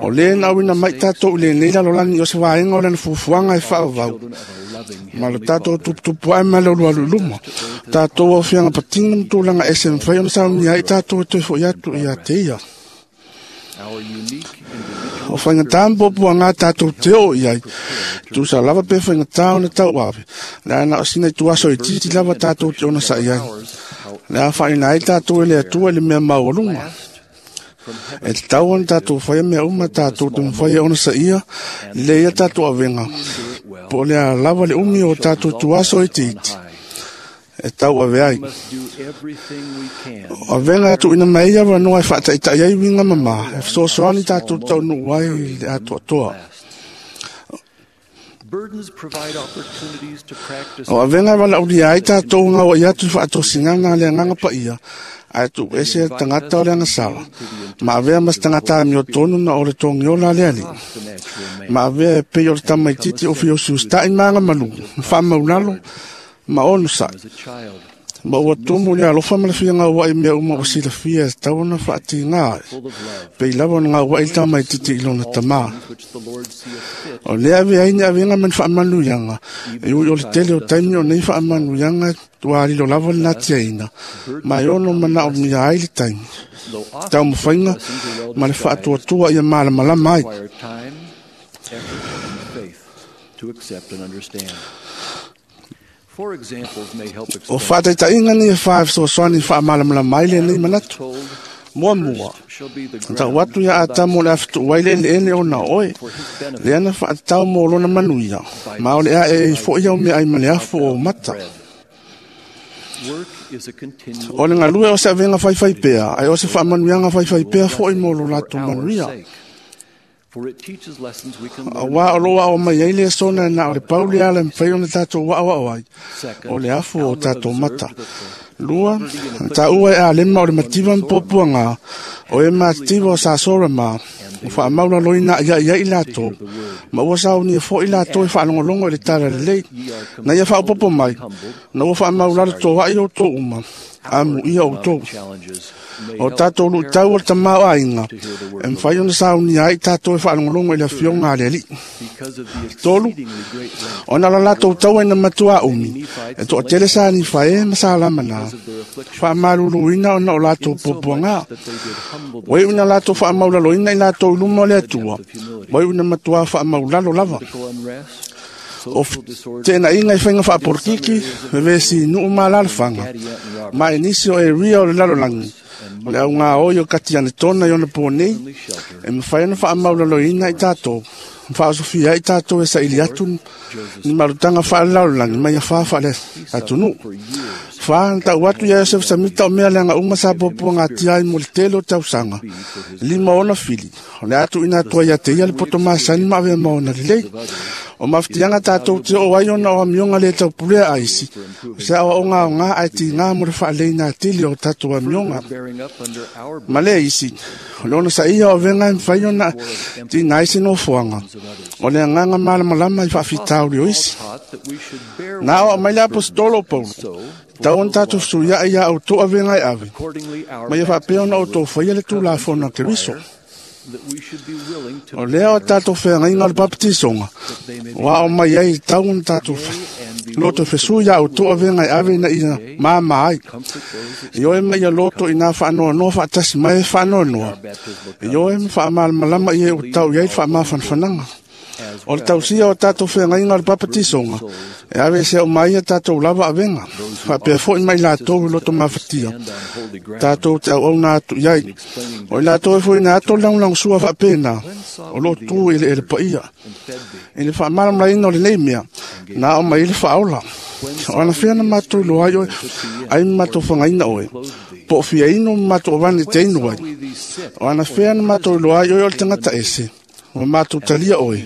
O le na wina mai tātou i le nei lalo langi o se waenga o lana fufuanga e whaavau. children of a loving Ma lo tātou tuputupu ai ma le ulu alu luma. Tātou o whianga patinga mtūlanga ese mwhai ona sauni ai tātou e toi fo i atu i a te ia. O whaingatā mpopu a ngā tātou te o iai, tūsa lava pe whaingatā o na tau ave, le ana o sina i tuaso i titi lava tātou te ona sa iai. Le a whaina ai tātou e le atua le mea maualunga. E te tau ona tātou whaia mea uma tātou te mwhaia ona sa ia, le ia tātou avenga. Po le a lava le umi o tātou tuaso i titi. E tau ave ai. O avenga atu ina mai ia wanoa e whaataitai ai winga mama, e whasoasoani tātou tau nuu ai le atoa toa. O avenga wala uria ai tātou ngā i atu i whaatosinganga le nganga pa ia, ai tu ese tangata o le angasala. Ma avea mas tangata amio tonu na o le tongiola le ali. Ma avea e pei o le tamaititi o fiosi ustai maanga malu, whaamaulalo, ma ono sai. Ma ua tumu le alofa ma le fia ngā wai mea uma o sila fia e tau ona whaati ngā. Pei lava ona ngā wai tamaititi i lona tamā. O lea ave ai ni avenga man whaamanu ianga. E ui o le tele o taimi o nei whaamanu ianga tua alilo lava le natia ina. Ma e ono mana o mia ai le taimi. Tau mwhainga ma le whaatuatua ia malamalama ai. O whaataitainga ni e whae sosoani whaamalamalama ai le nei manatu. Mua mua. Tau atu ia atamu le awhitu waile ele ele o na oe. Le ana whaatau mō lona manuia. Ma o le a e fo ia o mea ai male afu o mata. O le ngalue o se avenga whaiwhai pea, ai o se whaamanuianga whaiwhai pea fo i mō lo lātou manuia. A wā o loa o mai ai le sona na o le pauli ala mwhai o na tātou waa waa ai, o le afu o tātou mata. Lua, tā ua e a lema o le mativa mpopua ngā, o e mativa o sāsora mā, o whaamaula loina ia ia i lātou, ma ua sao ni e fo i lātou e whaalongolongo i le tala lelei, na ia whaopopo mai, na ua whaamaula le tō ai o tō uma, amu ia o tō. O tātou lu tau o le tamau ainga, e mwhai ona sao ni ai tātou e whaalongolongo i le fionga a le ali. Tolu, ona la lātou tau aina matua umi, e toa tele sa ni whae ma sa lama nā. Whaamaluluina ona o lātou popuanga. Wai una lātou whaamaulaloina i lātou luma o le atua. Wai una matua whaamaulalo lava. O tēnā inga i whainga whaaporokiki, me vesi nuu mālalawhanga. Ma e nisi o e ria o le lalolangi. O le au ngā oi o kati ane tōna i ona pō nei, e mwhai ona whaamaulaloina i tātou. Whaasofia i tātou e sa ili atu ni marutanga whaalalolangi mai a wha le atunu. Wha, tau atu ia Yosef Samita o mea leanga uma sa popua ngā tiai mo le tele o tausanga. Lima ona fili. O le atu ina tua ia te ia le poto masani ma avea maona lelei. O mawhitianga tātou te o ai ona o amionga le tau pulea aisi. O se awa o ngā o ngā ai ti ngā mo le whaalei nā tili o tātou amionga. Ma le isi, o le ona sa ia o venga e mwhai ona ti ngā isi no fuanga. O le anganga malamalama i whaafitauri o isi. Nā o mai le apostolo Paulo. Tau on tātou suia ia au tō avenga e ave. Ma ia whaapea ona o tō whaia le tūlāfona ke riso. O lea o tātou whengainga o le papatisonga. Wa o mai ai tau on tātou loto fesu ia au tō avenga e ave na ia māma ai. I oe mai ia loto i nā whaanoa noa whaatasi mai e whaanoa noa. I oe whaamalamalama i e o tau iai whaamawhanwhananga. O le tausia o tātou whengainga o le papatisonga. E ave se o mai a tātou lava avenga. Whapea foi mai lātou i loto mawhatia. Tātou te au au nā atu iai. O i lātou e foi nā ato langlang sua whapena. O lo tū i le ele paia. I le whaamalamalaina o le nei mea. Nā o mai le whaola. O ana whiana mātou loa ai oe. Ai mātou whangaina oe. Po fia ino mātou wani te inu ai. O ana whiana mātou loa ai oe o le tangata ese. O mātou talia oe.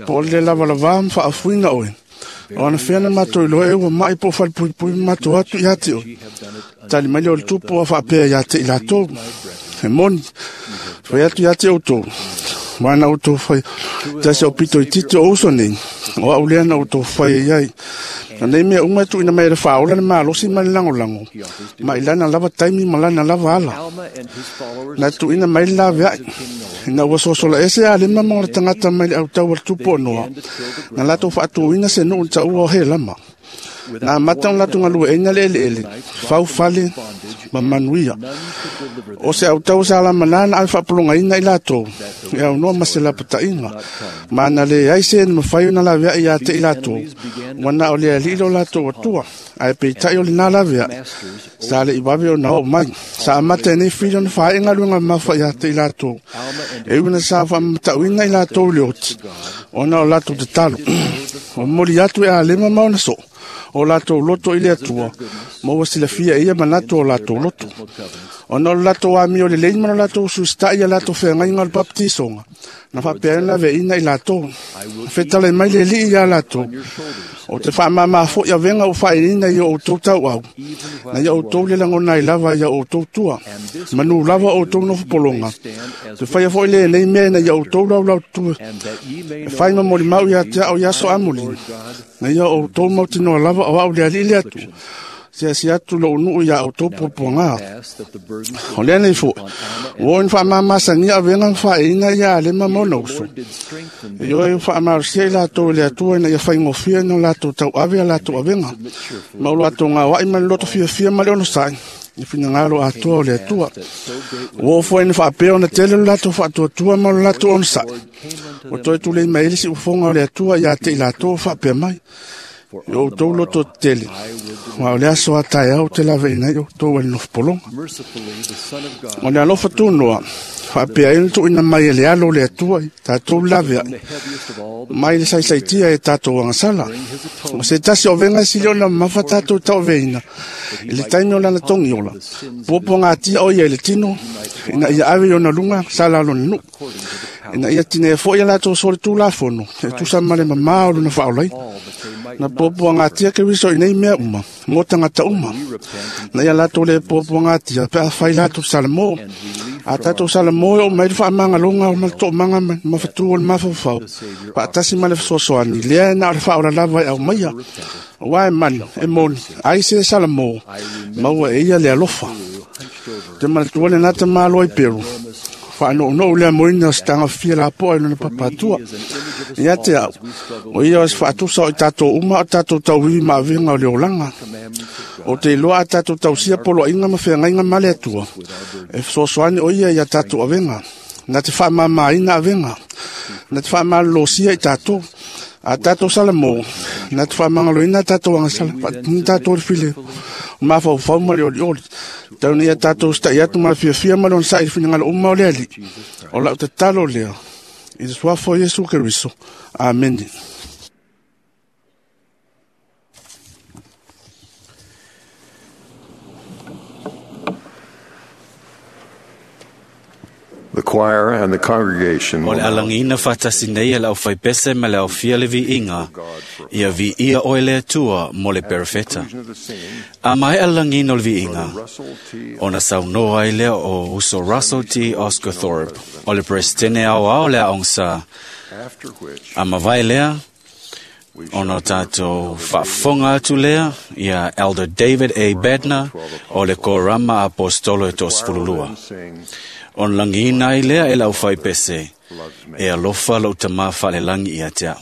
Po o le lava lava mwhaafuina oe. O ana whiana mātou iloa e ua mai po whalipui mātou atu i ate oe. Tali mai o le tupu a whaapea i ate i lātou. He moni. Whai atu i ate o tō. Wana o tō whai. Tasi o pito i titi o uso nei. O au lea na o tō whai e iai. Na nei mea unga tu ina mai le whaola le mālosi ma le langolango. Ma ilana lava taimi ma lana lava ala. Na tu ina mai le lawe ai. Ina ua sosola ese a lema mo le tangata mai le au tau o le tupu o noa. Na latou faatuina se nuu ta ua o he lama. Na amata ona latou galueaiina le eleele, faufale ma manuia. O se autau sa lamanā na ave faapologaina i latou, e aunoa ma se lapataiga, ma na leai se na mafai ona laveai ia te i latou, ua na o le Alii lo latou Atua, ae peitai o lenā laveai, sa le i vave ona oo mai. Sa amata e nei fili ona faaee galuega mamafa ia te i latou, e ui ina sa faamatauina i latou i le oti, ona o latou tatalo. O momoli atu e Alema ma ona soo, o latou loto i le Atua, ma ua silafia e ia manatu o latou loto. Ona o le latou amio lelei ma le latou ususita'i ia latou feagaiga o le baptisoga, na faapea ai ona laveaiina i latou. Na fetalai mai le Alii iā latou, o te faamāmā foi avega ua faailiina i o outou tauau, na ia outou le lagona ai lava ia outou tua. Manu lava o outou nofopologa, te faia foi lenei mea ina ia outou laulaututu e fai ma molimau ia te au i aso amuli, na ia outou mautinoa lava o au le Alii le Atua, siasi atu lou nuu ia outou puapuaga. O lea nei foi, ua oo ina faamamasagia avega ma faaeina ia Alema ma ona uso. E ioe faamalosia i latou e le Atua ina ia faigofie ona latou tauave a latou avega, ma o latou gaoai ma le loto fiafia ma le onosai, i finagalo atoa o le Atua. Ua oo foi ina faapea ona tele lo latou faatuatua ma lo latou onosai. Ua toe tulei mai ai le siufofoga o le Atua ia te i latou o faapea mai, i o outou loto tetele, aua o le aso a taeao ou te laveaiina ai outou ai le nofopologa. O le alofa tunoa, faapea ai ona tuuina mai e le alo o le Atua i tatou le laveai, mai le saisaitia e tatou agasala. O se tasi o avega e sili ona mamafa tatou tauaveina, i le taimi o lana togiola, puapuagatia o ia i le tino, ina ia ave i ona luga sala o lona nuu, ina ia tinea foi a latou solitulafono, e tusa ma le mamā o lona faaolaina. Na puapuagatia Keriso i nei mea uma, mo tagata uma. Na ia latou le puapuagatia pe afai latou salamo. A tatou salamo e oo mai le faamagaloga ma le toomaga ma mafatu o le mafaufau, faatasi ma le fesoasoani, lea e na o le faaola lava e aumaia. Aua e mani, e moni, ai se salamo, maua e ia le alofa. Te manatua lenā tamāloa i Peru, faanounou le amoina o se tagafia lapoa i lona papatua. Ia te au, o ia o se faatusa o i tatou uma o tatou tauivi ma avega o le olaga. O te iloa a tatou tausia poloaiga ma feagaiga ma le Atua, e fesoasoani o ia ia tatou avega. Na te faamamaina avega, na te faamalolosia i tatou. A tatou salamo, na te faamagaloina tatou agasala, faatini tatou le file, o mafaufau ma le olioli. Tau ina ia tatou sita'i atu ma le fiafia ma le onosai i le finagalo uma o le Alii. O lau tatalo lea, i le suafa o Iesu Keriso. Amene. The choir and the congregation O will le now alagiina faatasi nei e le aufaipese ma le aofia le viiga, ia viia oe le Atua mo le perofeta. conclusion of the singing, A maea le lagiina o le viiga, Russell T. ona saunoa ai lea o uso Russell T. Oscarthorpe, o le presidente aoao le aoga after which A mavae lea, we shall ona o hear tatou faafofoga atu lea ia Elder David A. Bednar o le Korama Apostolo e the choir will toasefululua. then sing Ona lagiina ai lea e le aufaipese, Loves Me. e alofa lou tamā faalelagi ia te au.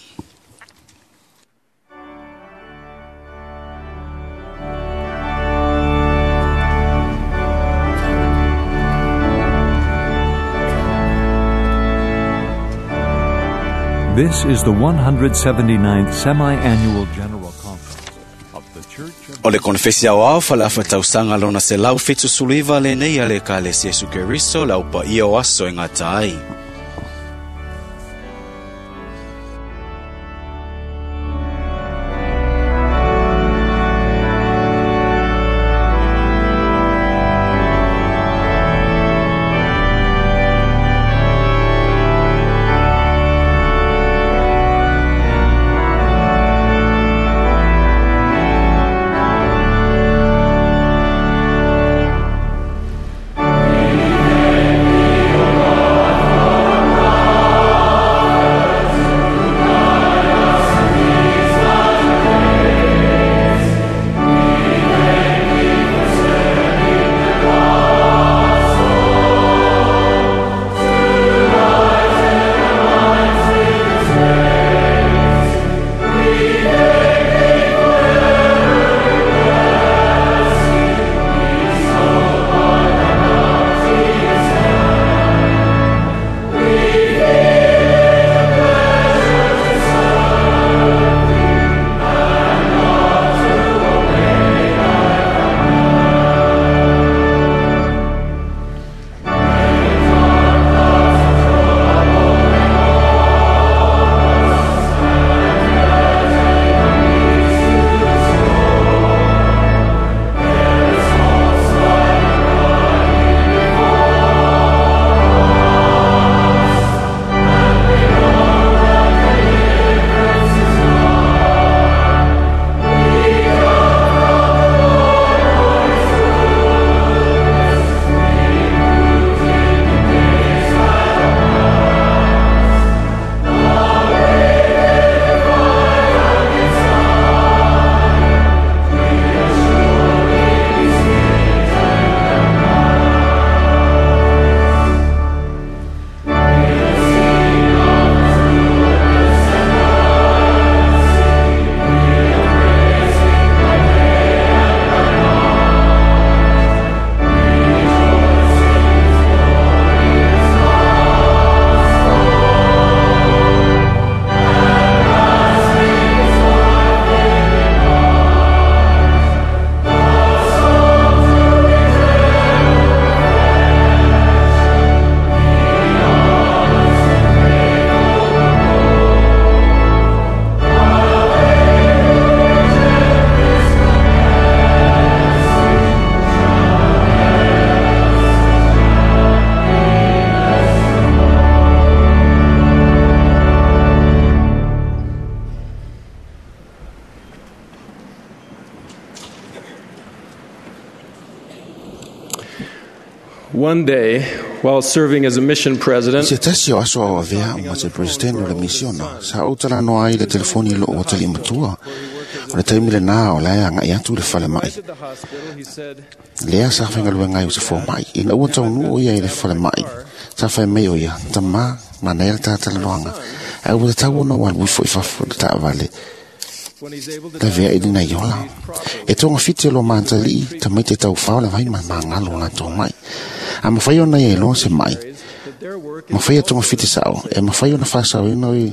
This is the 179th Semi-Annual General Conference of the Church of O le konefesi aoao faaleafa-tausaga lona 179 lenei a le Ekalesia Iesu Keriso le aupaia o aso e gata ai. Amen. One day, while serving as a mission president, Se tasi o aso au avea ma te president o le misiona, sa ou talanoa ai le telefoni lo o tali matua. O le taimi le nā o lae anga i atu le fale mai. Lea sa whaingaluenga ai o se fō mai. Ina ua taunu o ia i le fale mai. Sa whai mei o ia, tama, mana e le tātalanoanga. Ai ua te tau ona o alu ifo i fafo le taavale. La vea i lina i ola. E tonga fiti o lo mātali, ta mai te tau whao le vai ma mangalo la tō mai. A mawhai ona ia e loa se mai. Mawhai a tonga fiti sao. E mawhai ona whasau ina i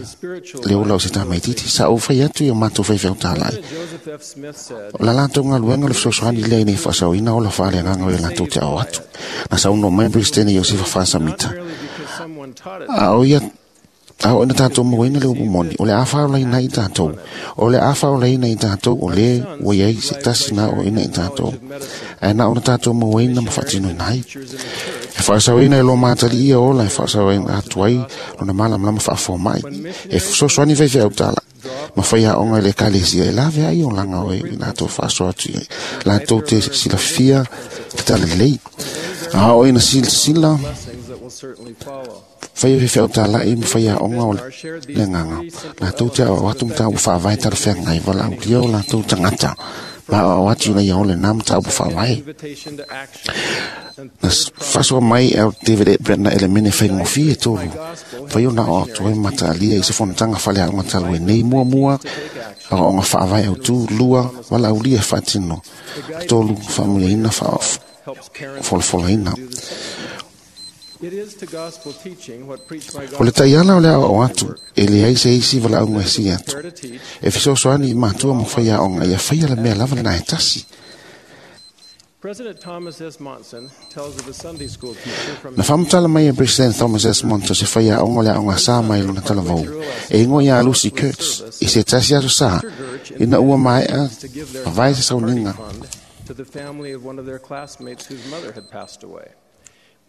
le ola o se tā mai titi. Sa o whai atu i o mātou whai whiau tālai. O la lātou ngā luenga le fesoasoani lea i nei whasau ina ola whaale nganga o i lātou te ao atu. Na sa uno mai Presidente Iosefa Whasamita. A o ia a o ina tātou mawaina le upu moni, o le awha o leina i tātou, o le awha o leina i tātou, o le ua iai se tasi nā o ina i tātou. Ae na ona tātou mawaina ma whaatino ina ai. E whaasauina e lo mātali ia ola, e whaasauina atu ai, lona malamlama whaafo mai. E fesoasoani whaiwhai au tāla. Ma whai a onga i le kalesia e lawe ai o langa o e i lātou whaaso atu i lātou te silafia te talalei. A o ina sila whai o whiau tālai ma whai a onga o le nganga. Lātou te au atu mta u whaawai tara whea ngai wala au lia o lātou tangata. Ma au atu na ia ole nā mta u whaawai. Na whasoa mai au David Edbrett na elemene whai ngofi e tōru. Whai o na o atu ai mata alia i se fonatanga whale a onga talu e nei mua mua. Au onga whaawai au tū lua wala au lia whaatino. Tōru whaamuia ina whaafolafola ina. O le taiala o le ao atu, e le ai se isi wala au si atu. E fesoasoani i mātua mo whai aonga, ia whaia le mea lava le nā e tasi. President Thomas S. Monson tells of a Sunday school teacher from Na whamutala mai e President Thomas S. Monson se whai aonga le aonga sā mai lona talavau. E ingo ia Lucy Kurtz, i se tasi aso sā, ina ua maea, vai se sauninga. to the family of one of their classmates whose mother had passed away.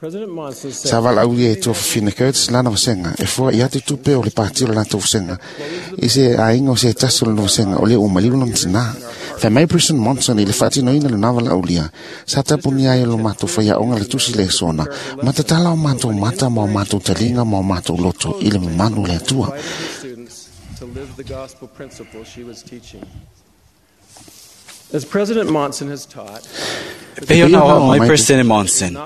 President Monson said, Sa wala au ia e tua whina Kurtz lana wasenga, e fua i atu tupe o le pāti o le lātou wasenga. I se ainga o se tasi o le wasenga, o le o malilu na mtina. Whai mai President Monson i le whaatino ina le nawala au lia. Sa tapu ni ai lo mātou whai aonga le tusi le sona. Matatala o mātou mata ma o mātou talinga ma o mātou loto i le mamanu le atua. students to live the gospel principle she was teaching. As President Monson has taught, Pei ona o mai President Monson.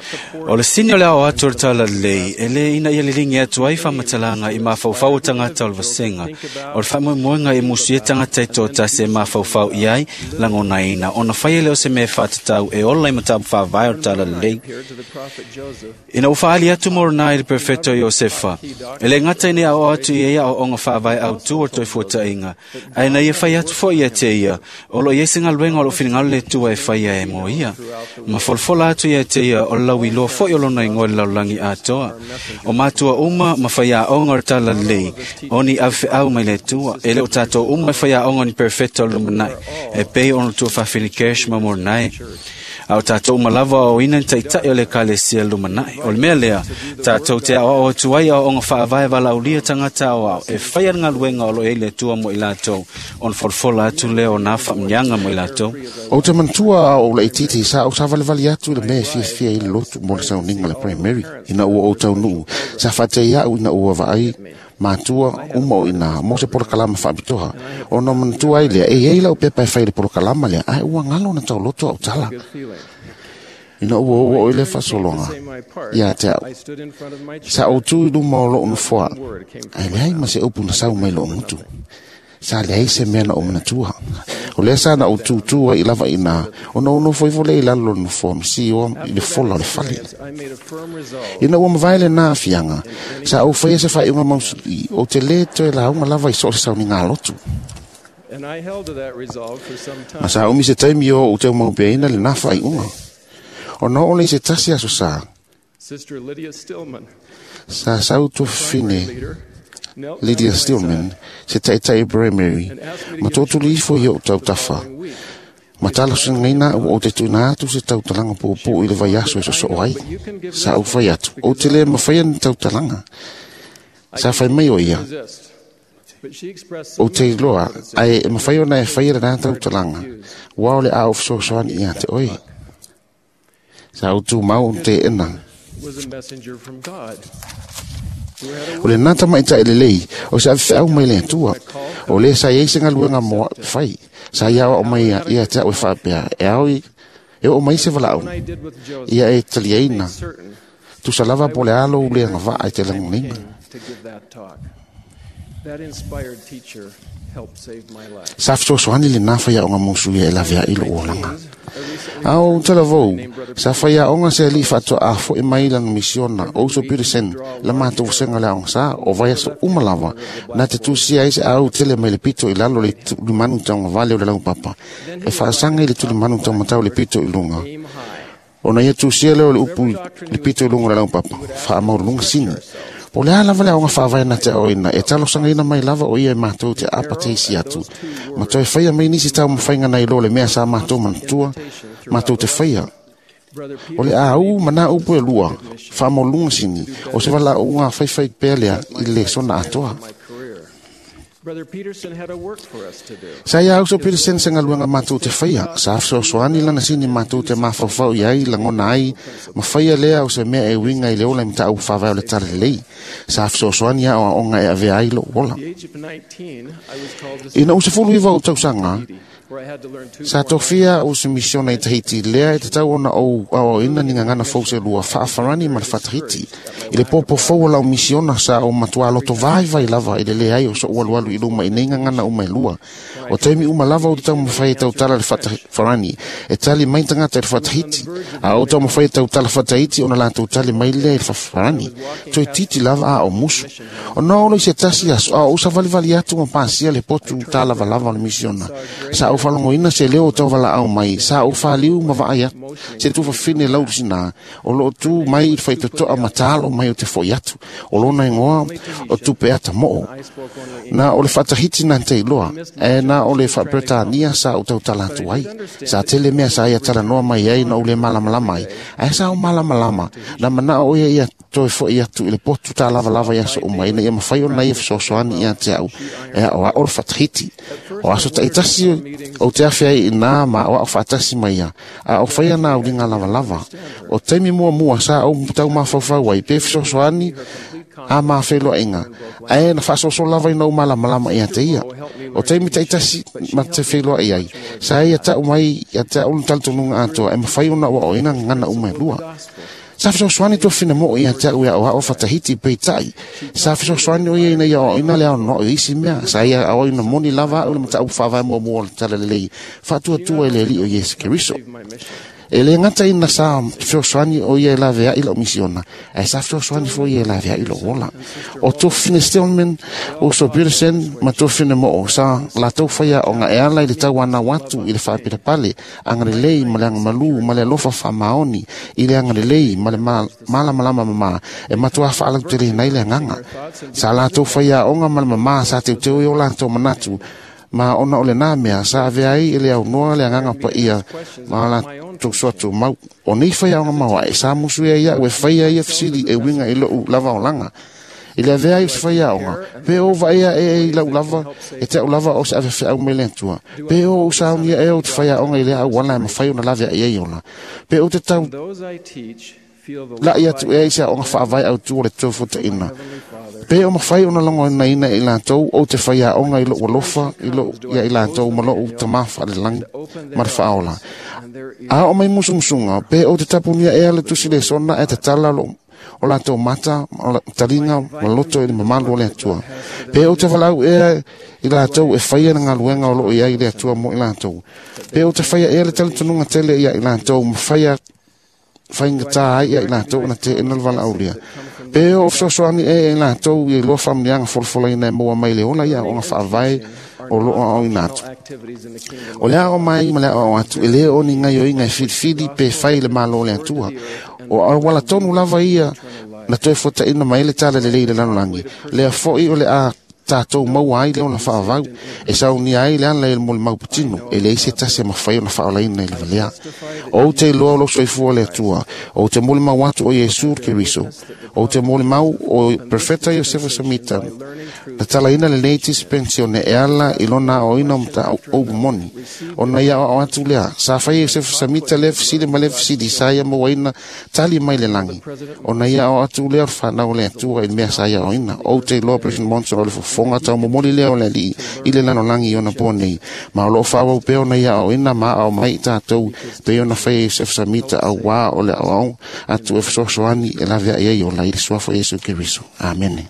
O le sini o le ao atu o le tala lei, e le ina ia lilingi atu ai whamatalanga i mawhauwhau o tangata o le vasenga. O le whamoemoenga i musu e tangata i tō tasi e mawhauwhau i ai, langona ina. Ona whai ele o se mea whaatatau e ola i matapu whawai o le tala lei. to the prophet Joseph, Ina uwhaali atu morona i le perfecto Iosefa. E le ngata ine ao atu i ea o onga whaawai au tu o toi fuata inga. Ai na ia whai atu fo ia te ia. O lo iese ngā luenga o lo whiringalo le tua e whai e mo ia. Ma folfola atu ia te ia o lau i loa fo i o lona ingoa le laulangi atoa. O mātua uma ma whai a onga o tala lei. O ni au wheau mai le tua. E le o tātou uma e whai a onga ni perfecto o lumanai. E pei ono tua whawhini cash ma moronai. A o tātou malava o ina ni taitai o le kalesia lumanai. O le mea lea, tātou te ao o tuai o onga whaavae wala ulia tangata o ao. E whai ngā luenga o lo e le tua mo i lātou. On folfola atu leo nā whamnyanga mo i lātou. O te mantua o le titi sa o sa valevale atu le mea fia fia i le lotu mo le sauninga le primary ina ua o taunuu. Sa whaatei au ina ua vaai mātua uma o ina mo se polokalama whaapitoha. O no mantua ai lea, e ei lau pepa e whai le polokalama lea, ai ua ngalo na tau loto au tala. Ina ua ua o ile whasolonga. Ia te au. Sa o tū i luma o loo nofoa. Ai leai ma se upu na sau mai loo mutu. Sa leai se mea na o manatua. O lea sa na o tūtūa i lava ina. O na ono foi vole i lalo nofoa. Msi o i le fola o le fale. Ina ua mavae le nā fianga. Sa o whaia se whai unga mausuli. O te le toe la unga lava i so se sau ni ngā lotu. and I held to that resolve for some time. Ma sa umi se taimi o o te maupea le nā whai unga. O na ole se tasi aso sa. Sister Lydia Stillman, Sa sau tu whine leader, knelt Lydia Stillman se taitai primary. Ma tōtuli ifo i o tau tawha. Ma tala singaina o te tuna atu se tautalanga pōpō i le vai aso e soso ai. Sa au whai atu. O te le mawhai ni tautalanga. Sa whai mai o ia. resist. But she expressed O te iloa, ai e mawhai ona e whai rana tautalanga. Wao le au fesoasoani ia te oi. Sa au tū mau te ena. O le nata mai tai lelei, o se awhau mai le atua. O le sa iei se ngaluenga moa whai. Sa ia o mai ia te au e whaapea. E au i, e o mai se walau. Ia e taliaina. Tusa lava po le alo u le ngawaa i te langonina. Sa fesoasoani le nafa ia o ngā musu ia e lavea i lo olanga. Au talavou, sa whai aonga se ali whatua a fo e mai lana misiona, o so Peterson, la mātou senga le aonga sa, o vai aso umalava, nā te tūsia ai se au tele mai le pito i lalo le tulimanu taunga vale o le lau papa. E whaasanga i le tulimanu taunga matau le pito i lunga. O na ia tūsia leo le upu le pito i lunga le lau papa, wha amau lunga sini. O le ala vale aonga whaavae na te oina, e talosanga ina mai lava o ia e mātou te apa te isi atu. Ma toi whaia mai nisi tau mawhainga nei lo le mea sa mātou manatua, mātou te whaia. O le au mana upu e lua, whaamolunga sini, o se wala unga whaiwhai pea lea i le sona atoa. Sa ia auso Peterson se ngaluenga mātou te whaia, sa afsoasoani lana sini mātou te mawhawhau i ai, langona ai, ma whaia lea o se mea e winga i le ola i mta au whawai o le tala lei. Sa afsoasoani a o aonga e avea ai lo ola. Ina use fulu iwa o tausanga, sa tofia o se misiona i Tahiti lea e te tau ona o au ina ni ngangana fau se lua whaafarani ma le whatahiti. I le popo fau o lau misiona sa o matua loto vai vai lava i le lea ai o so ualualu i luma i nei ngangana uma e lua. O taimi uma lava o te tau mawhai e tau tala le whatafarani. E tali mai tangata i le whatahiti. A o tau mawhai e tau tala whatahiti ona la tau tali mai lea i le whafarani. Toi titi lava a o musu. O nā olo i se tasi aso a o usa valivali atu ma pasia le potu tā lava lava o le misiona. Sa o whalongoina se leo o tau wala au mai, sa o whaliu ma vaai atu, se tufa whine lau sina, o loo tū mai i whaitotoa matalo mai o te foi atu, o lona ingoa o tupe ata moo. Nā o le whatahiti nā te iloa, e nā o le whapretania sa o tau tala atu ai, sa tele mea sa ia tala noa mai ai na o le malamalama ai, ae sa o malamalama, nā mana o ia ia toi foi atu i le potu tā lava lava ia so umai, na ia mawhai o na ia fesoasoani ia te au, e o a o le whatahiti. O aso taitasi o te awhi ai i nā ma o au whaatasi mai ia, a o whaia nā uringa lava lava. O teimi mua mua sa au tau mawhauwhau ai, pe fesoasoani a mā wheloa inga. Ae na whaasoso lava i nau malamalama ia te ia. O teimi taitasi ma te wheloa i ai. Sa ia tau mai ia te au taltonunga atoa, e mawhai ona wa o ina ngana uma e lua. Sa fesoasoani tua whina mo ia te au ia o whatahiti peitai. Sa fesoasoani o ia ina ia o ina lea no isi mea. Sa ia o ina moni lava au le mata au whawai mua mua o le tala lelei. Whaatua tua e le li o Yesu Keriso. E le ngata ina sa fesoasoani o ia e lavea i lau misiona. Ae sa fesoasoani fo ia e lavea i lau ola. O tō whine Stillman, o so Peterson, ma tō whine mo o sa la tau whaia o ngā e ala i le tau ana watu i le whaapira pale. Anga le lei ma le anga malu, ma le alofa wha maoni, i le anga le lei ma le malamalama mama. E matua whaalau te le nei le nganga. Sa la tau whaia o ngā ma le mama sa te teo i o la tau manatu. Ma ona o le nā mea, sa avea ai e le au noa le anganga pa ia, ma la tau soatu mau. O nei whai aonga maua, e sa musu ia ia, ue whai ia fisili e winga i lou lava o langa. I le avea ai o se whai aonga, pe o vaea e i lau lava, e te au lava o se ave whiau mai le atua. Pe o usaonia e o te whai aonga i le au wala e mawhai o na lavea i ei ola. Pe o te tau la ia tu e se aonga whaavai au tu o le tōfuta ina. Pe o mawhai o na longo ina ina i lātou o te whai aonga i lou alofa i lou ia i lātou ma lou tamafa le langi ma le whaola. A o mai musumusunga, pe o te tapunia e ale tusi le sona e te tala lo o lātou mata, o la talinga, ma loto i le mamalu o le atua. Pe o te walau ea i lātou e whaia na ngaluenga o loo ia i le atua mo i lātou. Pe o te whaia ea le talitonunga tele ia i lātou ma whaia whainga tā ai ia i lātou na te ena le wala aulia. Pe o fesoasoani e i lātou i loa whamnianga folafola ina e maua mai le ola ia o ngā whaavae o loa au ina atu. O lea o mai ma lea o atu, e lea o ni ngai o inga e whiriwhiri pe whai le malo le atua. O wala tonu lava ia na toe fota ina mai le tala le lei le lanolangi. Lea foi o le a tātou maua ai le ona whaavau, e saunia ai le ana le mo le mauputino, e le isi tasi e mawhai ona whaolaina i le valea. O te loa o lo soifua le atua, o te mole mau atu o Iesu Keriso, O te molimau o Profeta Iosefa Samita, na talaina lenei dispensione e ala i lona aoaoina o mataupu moni. Ona ia aoao atu lea, sa faia Iosefa Samita lea fesili ma lea fesili sa ia mauaina tali mai le lagi. Ona ia aoao atu lea o le fanau o le Atua i le mea sa ia aoaoina. Ou te iloa President Monson o le fofoga taumomoli lea o le Alii i le lalolagi i ona po nei. Ma o loo faaauau pea ona ia aoaoina ma aao mai i tatou pei ona faia Iosefa Samita auā o le aoaoga atu e fesoasoani e laveai ai ola i le suafa o Iesu Keriso. Amene.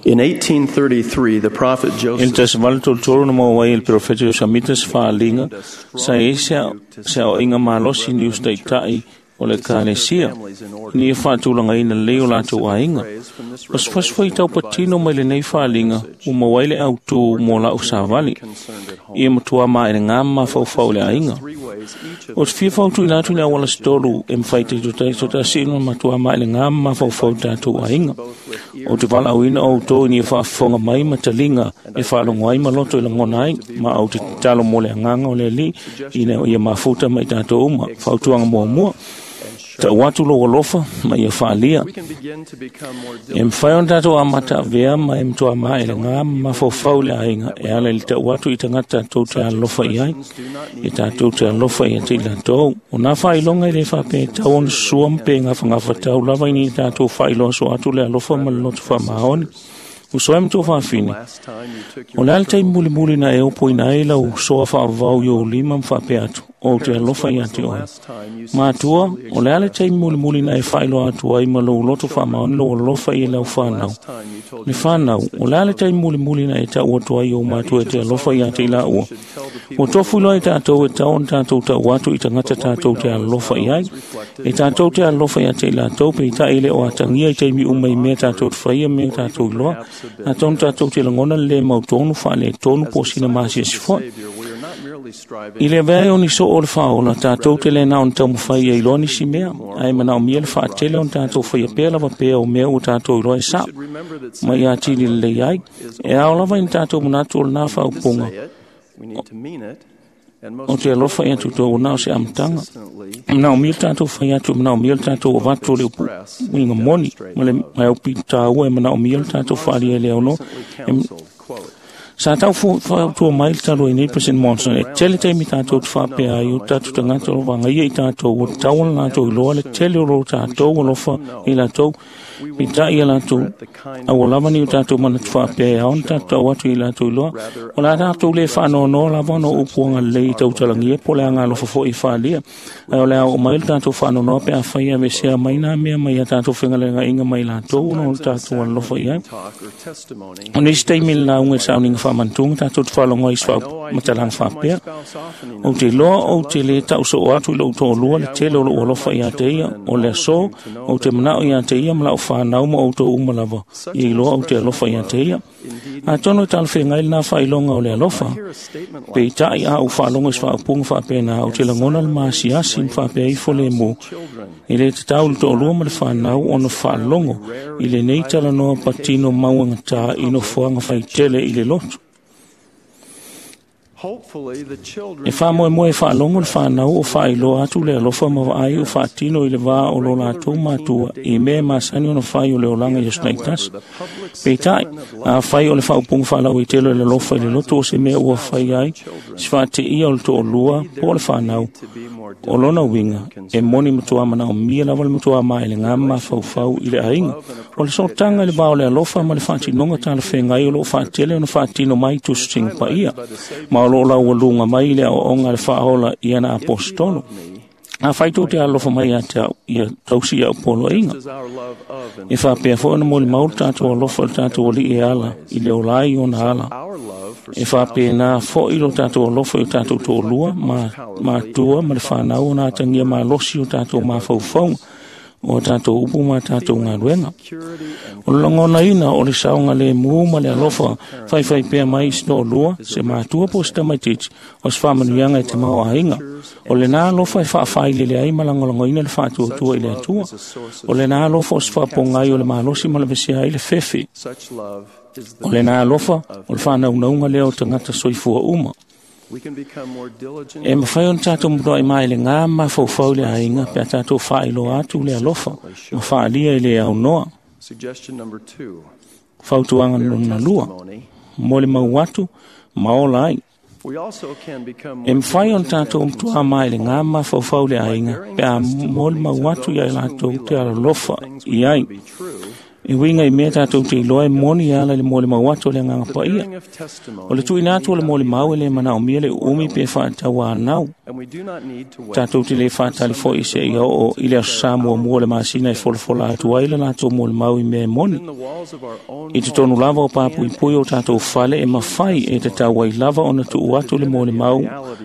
In 1833, the prophet I le Joseph 1833 na maua ai e le perofeta Iosamita se faaliga sa i ai se aoaiga malosi i ni usitaʻitaʻi o le ekalesia ina ia faatulagaina lelei o latou aiga. O se fasi foi taupatino mai lenei faaliga ua maua ai le autū mo la'u savali ia matuā maelegā ma mafaufau i le aiga. O te fia fautuina atu i le auala se tolu e mafai taitotasina ona matuā maelegā ma mafaufau i tatou aiga. O te valaauina o outou ina ia faafofoga mai ma taliga e faalogo ai ma loto i lagona ai, ma ou te tatalo mo le agaga o le Alii ina ia mafuta ma i tatou uma. Fautuaga muamua, ta'u atu lou alofa ma ia faalia. E mafai ona tatou amataavea ma e matuā maelegā ma mafaufau i le aiga e ala i le ta'u atu i tagata tatou te alolofa i ai, e tatou te alofa ia te i latou. O nā faailoga e lē faapea e tau ona susua ma pe gafagafatau lava ina ia tatou faailoa soo atu le alofa ma le loto faamaoni. Uso ai ma tou faafine, o le a le taimi mulimuli na e opoina ai lau soa faavavau i ou lima ma faapea atu, ou te alofa ia te oe. Matua, o le a le taimi mulimuli na e faailoa atu ai ma lou loto faamaoni lou alofa i lau fanau. Le fanau, o le a le taimi mulimuli na e ta'u atu ai i ou matua e te alofa ia te i laua. Ua tofu iloa i tatou e tau ona tatou ta'u atu i tagata tatou te alolofa i ai. E tatou te alolofa ia te i latou peitai e le o atagia i taimi uma i mea tatou te faia ma mea tatou iloa. Atonu tatou te lagona le lē mautonu faaletonu po o sina masiasi fo'i. I le avea ai o ni soo o le faaola, tatou te lē na ona taumafai ia iloa nisi mea, ae manaomia le faatele ona tatou faia pea lava pea o mea ua tatou iloa e sa'o, ma ia atili lelei ai. E ao lava ina tatou manatu o lenā faaupuga o te alofa ia tutou ona o se amataga. E manaomia le tatou fai atu, e manaomia le tatou avatu o le upu uiga moni ma le maopitaua, e manaomia le tatou faaalia i le aunoa. Sa tau fautua mai le talu ai nei President Monson, e tele taimi tatou te faapea ai o tatou tagata o lo o vagaia i tatou, ua tatau ona latou iloa le tele o lo tatou alofa i latou, peitai ia latou aua lava nei o tatou manatu faapea e ao ona tatou ta'u atu i latou iloa. O le a tatou lē faanoanoa lava ona o upu agalelei i tautalagia po o le agalofa foi i faalia, ae o le a oo mai le tatou faanoanoa pe afai e aveesea mai nā mea mai a tatou fegalegaiga mai latou ona o le tatou alolofa i ai. O nisi taimi i le lauga i le sauniga faamanatuga tatou te faalogo ai i se faamatalaga faapea, ou te iloa ou te lē ta'u soo atu i lo'u to'alua le tele o lo'u alofa iā te ia. O le aso ou te mana'o iā te ia ma la'u fanau ma outou uma lava ia iloa ou te alofa iā te ia. Atonu e talafeagai lenā faailoga o le alofa, peitai a ou faalogo i se faaupuga faapena, ou te lagona le masiasi ma faapea ifo lemu e lē tatau i le to'alua ma le fanau ona faalogo i lenei talanoa patino mauagatā i nofoaga faitele i le lotu. E faamoemoe e faalogo le fanau o faailoa atu le alofa ma vaai o faatino i le vā o lo latou matua i mea e masani ona fai o le olaga i aso taitasi. Peitai, afai o le faaupuga faalauaitele o le alofa i le loto o se mea ua fai ai se faateia o le to'alua po o le fanau, o lona uiga e moni matuā manaomia lava le matuā maelegā ma mafaufau i le aiga. O le sootaga i le vā o le alofa ma le faatinoga talafeagai o loo faatele ona faatino mai i tusitusiga paia, ma o loo laualuga mai i le aoaoga a le faaola i ana aposetolo. Afai tou te alolofa mai ia te au, ia tausi i a'u poloaiga. E faapea foi ona molimau le tatou alofa i le tatou Alii e ala i le ola ai i ona ala. E faapena foi lo tatou alofa i o tatou to'alua ma matua ma le fanau ona atagia malosi o tatou mafaufauga, o a tatou upu ma a tatou galuega. O le lagonaina o le saogalēmū ma le alofa faifaipea mai i se to'alua, se matua po o se tamaitiiti, o se faamanuiaga e tamaoaiga. O lenā alofa e faafailele ai ma lagolagoina le faatuatua i le Atua. O lenā alofa o se faapogai o le malosi ma lavesea ai le fefe. O lenā alofa o le faanaunauga lea o tagata soifua uma. E mafai ona tatou mutuai maelegā ma mafaufau i le aiga pe a tatou faailoa atu le alofa ma faaalia i le aunoa. Fautuaga lona lua, mo le mau atu ma ola ai. E mafai ona tatou matuā maelegā ma mafaufau i le aiga pe a molimau atu ia i latou te alolofa i ai. E uiga i mea tatou te iloa e moni e ala i le molimau atu o le Agaga Paia. O le tuuina atu o le molimau e le manaomia le uumi pe faatauanau. Tatou te le faatali foi seia oo i le aso Sa muamua o le masina e folafola atu ai le latou molimau i mea e moni. I totonu lava o papuipui o tatou fale e mafai e tatau ai lava ona tuu atu le molimau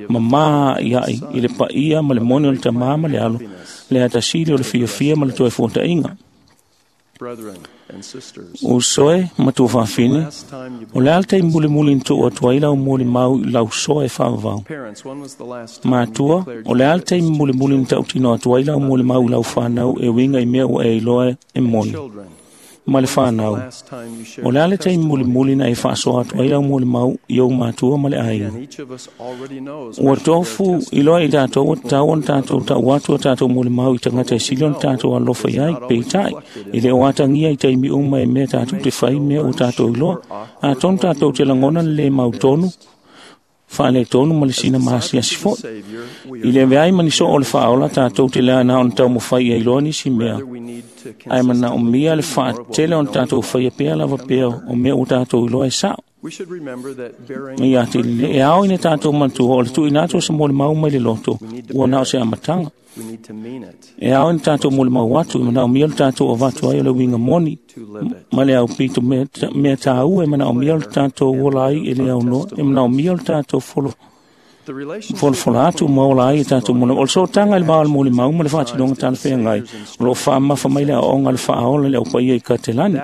mamā a'ia'i i le paia ma le moni o le Tamā ma le Alo, le atasili o le fiafia ma le toe fuata'iga. Uso e ma tuafafine, o le a le taimi mulimuli na tuu atu ai lau molimau i lau soa e faavavau? Matua, o le a le taimi mulimuli na tautino atu ai lau molimau i lau fanau e uiga i mea ua e iloa e moni? Ma le fanau, o le a le taimi mulimuli na e faasoa atu ai lau molimau i ou matua ma le aiga? Ua tofu iloa i tatou ua tatau ona tatou ta'u atu a tatou molimau i tagata e sili ona tatou alofa i ai, peitai, e le o atagia i taimi uma e mea tatou te fai mea ua tatou iloa. Atonu tatou te lagona le lē mautonu, faaletonu ma le sina maasiasi fo'i. I le aveai ma ni soo o le faaola, tatou te lea na ona taumafai ia iloa nisi mea, ae manaomia le faatele ona tatou faia pea lava pea o mea ua tatou iloa e sa'o. Ma ia te lelei, e ao ina tatou manatua o le tuuina atu o se molimau mai le loto, ua na o se amataga. E ao ina tatou molimau atu, e manaomia le tatou avatu ai o le uiga moni ma le aupito mea tāua e manaomia le tatou ola ai e le aunoa, e manaomia le tatou folafola atu ma ola ai e tatou molimau. O le sootaga i le va o le molimau ma le faatinoga talafeagai, o lo o faamamafa mai le aoaoga a le faaola i le aupaia i Katelani.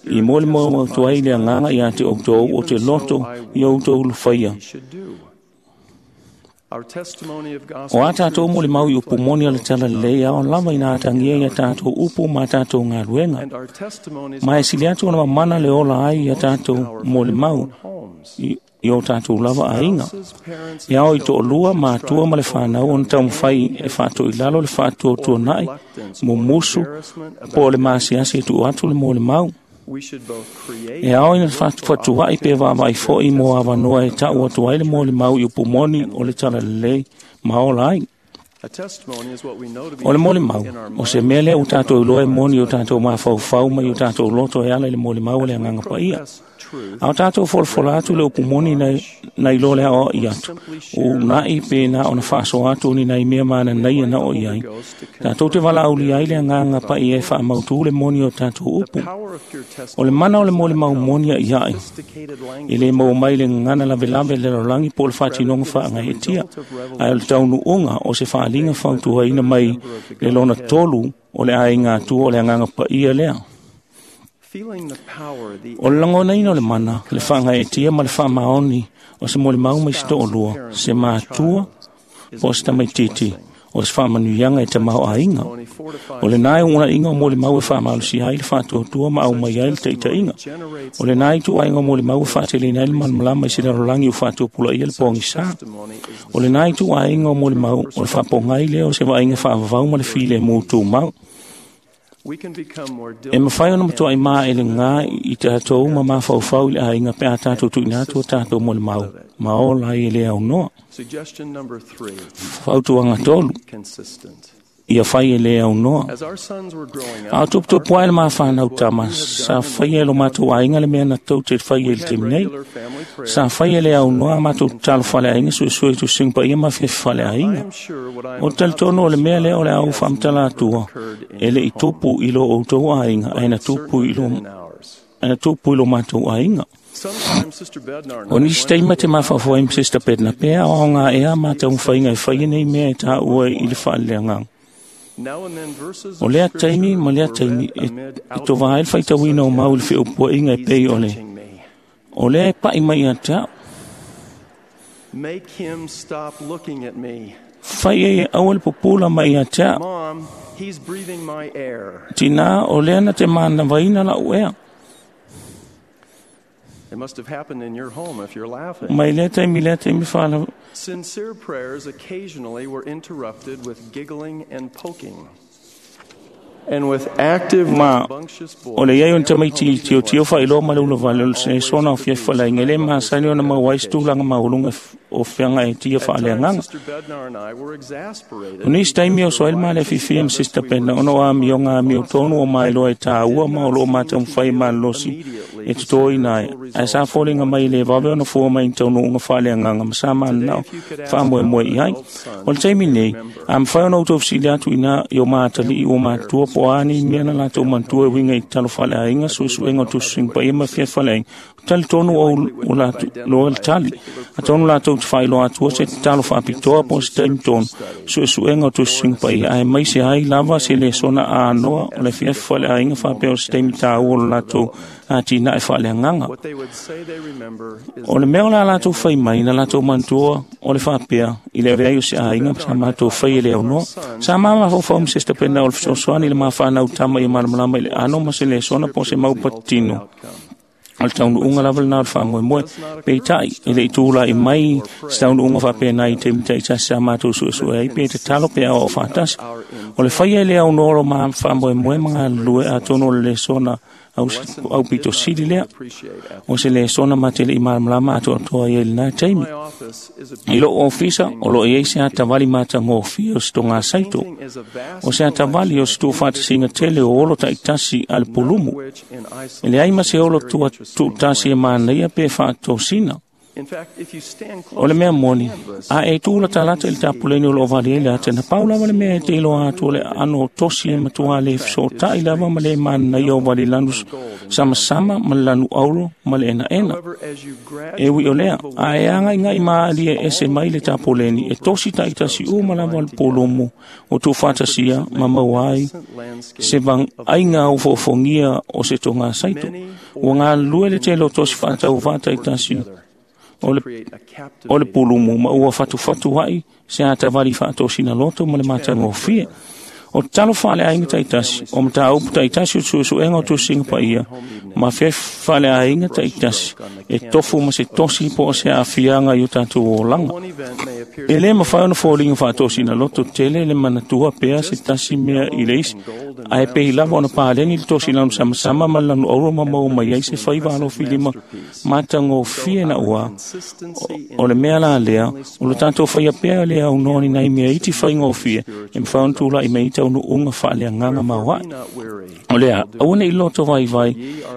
I molimau atu ai le agaga ia te outou o te loto i outou lufaia. O a tatou molimau i upu moni o le talalelei, e ao lava ina atagia ia tatou upu ma tatou galuega. Ma e sili atu ona mamana le ola ai ia tatou molimau i o tatou lava aiga. E ao i to'alua, matua ma le fanau ona taumafai e faatoilalo le faatuatuana'i, mumusu, po o le maasiasi e tuu atu le molimau. E ao ina fatua'i pe vaavaai fo'i mo avanoa e ta'u atu ai le molimau i upu moni o le talalelei ma ola ai. O le molimau, o se mea lea ua tatou iloa e moni i o tatou mafaufau ma i o tatou loto e ala i le molimau o le Agaga Paia. A o tatou folafola atu le upu moni na iloa le aoa'i atu, una'i pe na ona faasoa atu ni nai mea mananaia na oo i ai. Tatou te valaaulia ai le Agaga Paia e faamautū le moni o tatou upu. O le mana o le molimau moni a'ia'i, e le maua mai le gagana lavelave i le lalolagi po o le faatinoga faagaeetia, ae o le taunuuga o se faaliga fautuaina mai le lona tolu o le aiga atua o le Agaga Paia lea. O le lagonaina o le mana, le faagaeetia ma le faamaoni o se molimau mai se to'alua, se matua po o se tamaitiiti, o se faamanuiaga e tamaoaiga. O lenā e uuna'iga o molimau e faamalosia ai le faatuatua ma aumai ai le taita'iga. O lenā ituaiga o molimau e faateleina ai le malamalama i se lalolagi ua faatupulaia le pogisā. O lenā ituaiga o molimau o le faapogai lea o se vaaiga faavavau ma le filemu tumau. E mafai ona matua'i maelegā i tatou ma mafaufau i le aiga pe a tatou tuuina atu o tatou molimau ma ola ai e le aunoa. Fautuaga tolu, ia fai e le aunoa. A o tuputupu ae le mafanau tama, sa faia e lo matou aiga le mea na tou te faia i le taimi nei. Sa faia e le aunoa a matou tatalo faleaiga, suesue i tusiga paia ma afiafi faleaiga. O le talitonu o le mea lea o le a ou faamatala atua, e le i tupu i lo outou aiga, ae na tupu i lo matou aiga. O nisi taimi te mafaufau ai ma Sister Bednar pea aoaoga ea a mataumafaiga e faia nei mea e tāua i le faaleleagaga. O lea taimi ma lea taimi e tovā ai le faitauina o mau i le feʻupuaʻiga e pei o le o lea e paʻi mai ia te a'u. Fai ai e aua le pupula mai ia te a'u. Tinā o lea na te manavaina la'u ea. It must have happened in your home if you're laughing. Mai lea taimi lea taimi whaala Sincere prayers occasionally were interrupted with giggling and poking. And with active, ma rambunctious boys, o le iai o ni tamaiti tiotio faailoa ma le ulavale o le lesona o fiafalaina e lē masani ona maua ai se tulaga maualuga o feaga e tia faaleagaga. Sister Bednar and I were exasperated O nisi taimi o soa ai le malefifia ma Sister Pena ona o amioga amiotonu o mailoa e tāua ma o loo mataumafai e malolosi e totoina ai ae sa foliga mai e lē vave ona fua mai i taunuuga faaleagaga ma sa mananao faamoemoe i ai. O le taimi nei, a mafai ona outou fesili atu ina i o matalii ua matua po o a ni mea na latou manatua e uiga i tatalo faaleaiga, suesuega o tusitusiga paia ma fiafalaina, o talitonu o loa le tali. Atonu latou te faailoa atua se tatalo faapitoa po o se taimi tonu, suesuega o tusitusiga paia, ae maise ai lava se lesona anoa o le afiafi faaleaiga faapea o se taimi tāua o le latou atinae faaleagaga. What they would say they remember is O le mea o la latou fai mai na latou manatua o le faapea i le avea ai o se aiga sa matou fai e le aunoa. Sa mamafaufau ma Sister Pena o le fesoasoani i le mafanau tama ia malamalama i le ano ma se lesona po o se mau patino. O le taunuuga lava lenā o le faamoemoe. Peitai, e le i tula'i mai se taunuuga faapena i taimi taitasi sa matou suesue ai pe tatalo pe aoao faatasi. O le faia e le aunoa o lo ma faamoemoe ma galulue atonu o le lesona au pito sili lea. O se lesona ma te le i malamalama atoatoa ai i lenā taimi. I lou ofisa, o loo i ai se atavali matagofie o se togasaito. O se atavali o se tuufaatasiga tele o olo taitasi a le pulumu. E leai ma se olo tua tuutasi e manaia pe faatosina. In fact, if you stand O le mea moni, a e tū la talata i le tapuleni o loo vali ai le ata, na pau lava le mea e te iloa atu o le ano tosi e matua le fesotai lava ma le manaia o vali lanu samasama ma le lanu auro ma le enaena. as you E ui o lea, a e anga inga i maali e ese mai le tapuleni, e tosi taitasi uma lava le polomo o tūfatasia ma maua ai se vang ainga o foofogia o se toga saito. Ua galulue le tele o tosi faatauvā taitasi o le pulumu ma ua fatufatu ai se atavali faatosina loto ma le matagofie. O tatalo faaleaiga taitasi, o mataupu taitasi o suesuega o tusiga paia, ma fiafi faaleaiga taitasi, e tofu ma se tosi po o se aafiaga i o tatou olaga. E lē mafai ona foliga faatosina loto tele le manatua pea se tasi mea i le isi, ae pei lava ona paleni le tosi lanu samasama ma le lanu auro ma maua mai ai se faiva alofilima matagofie na ua. O le mea la lea, o lo tatou faia pea le aunoa ni nai mea iti faigofie, e mafai ona tula'i mai ai taunuuga faaleagaga maoaʻe. O lea, aua neʻi loto vaivai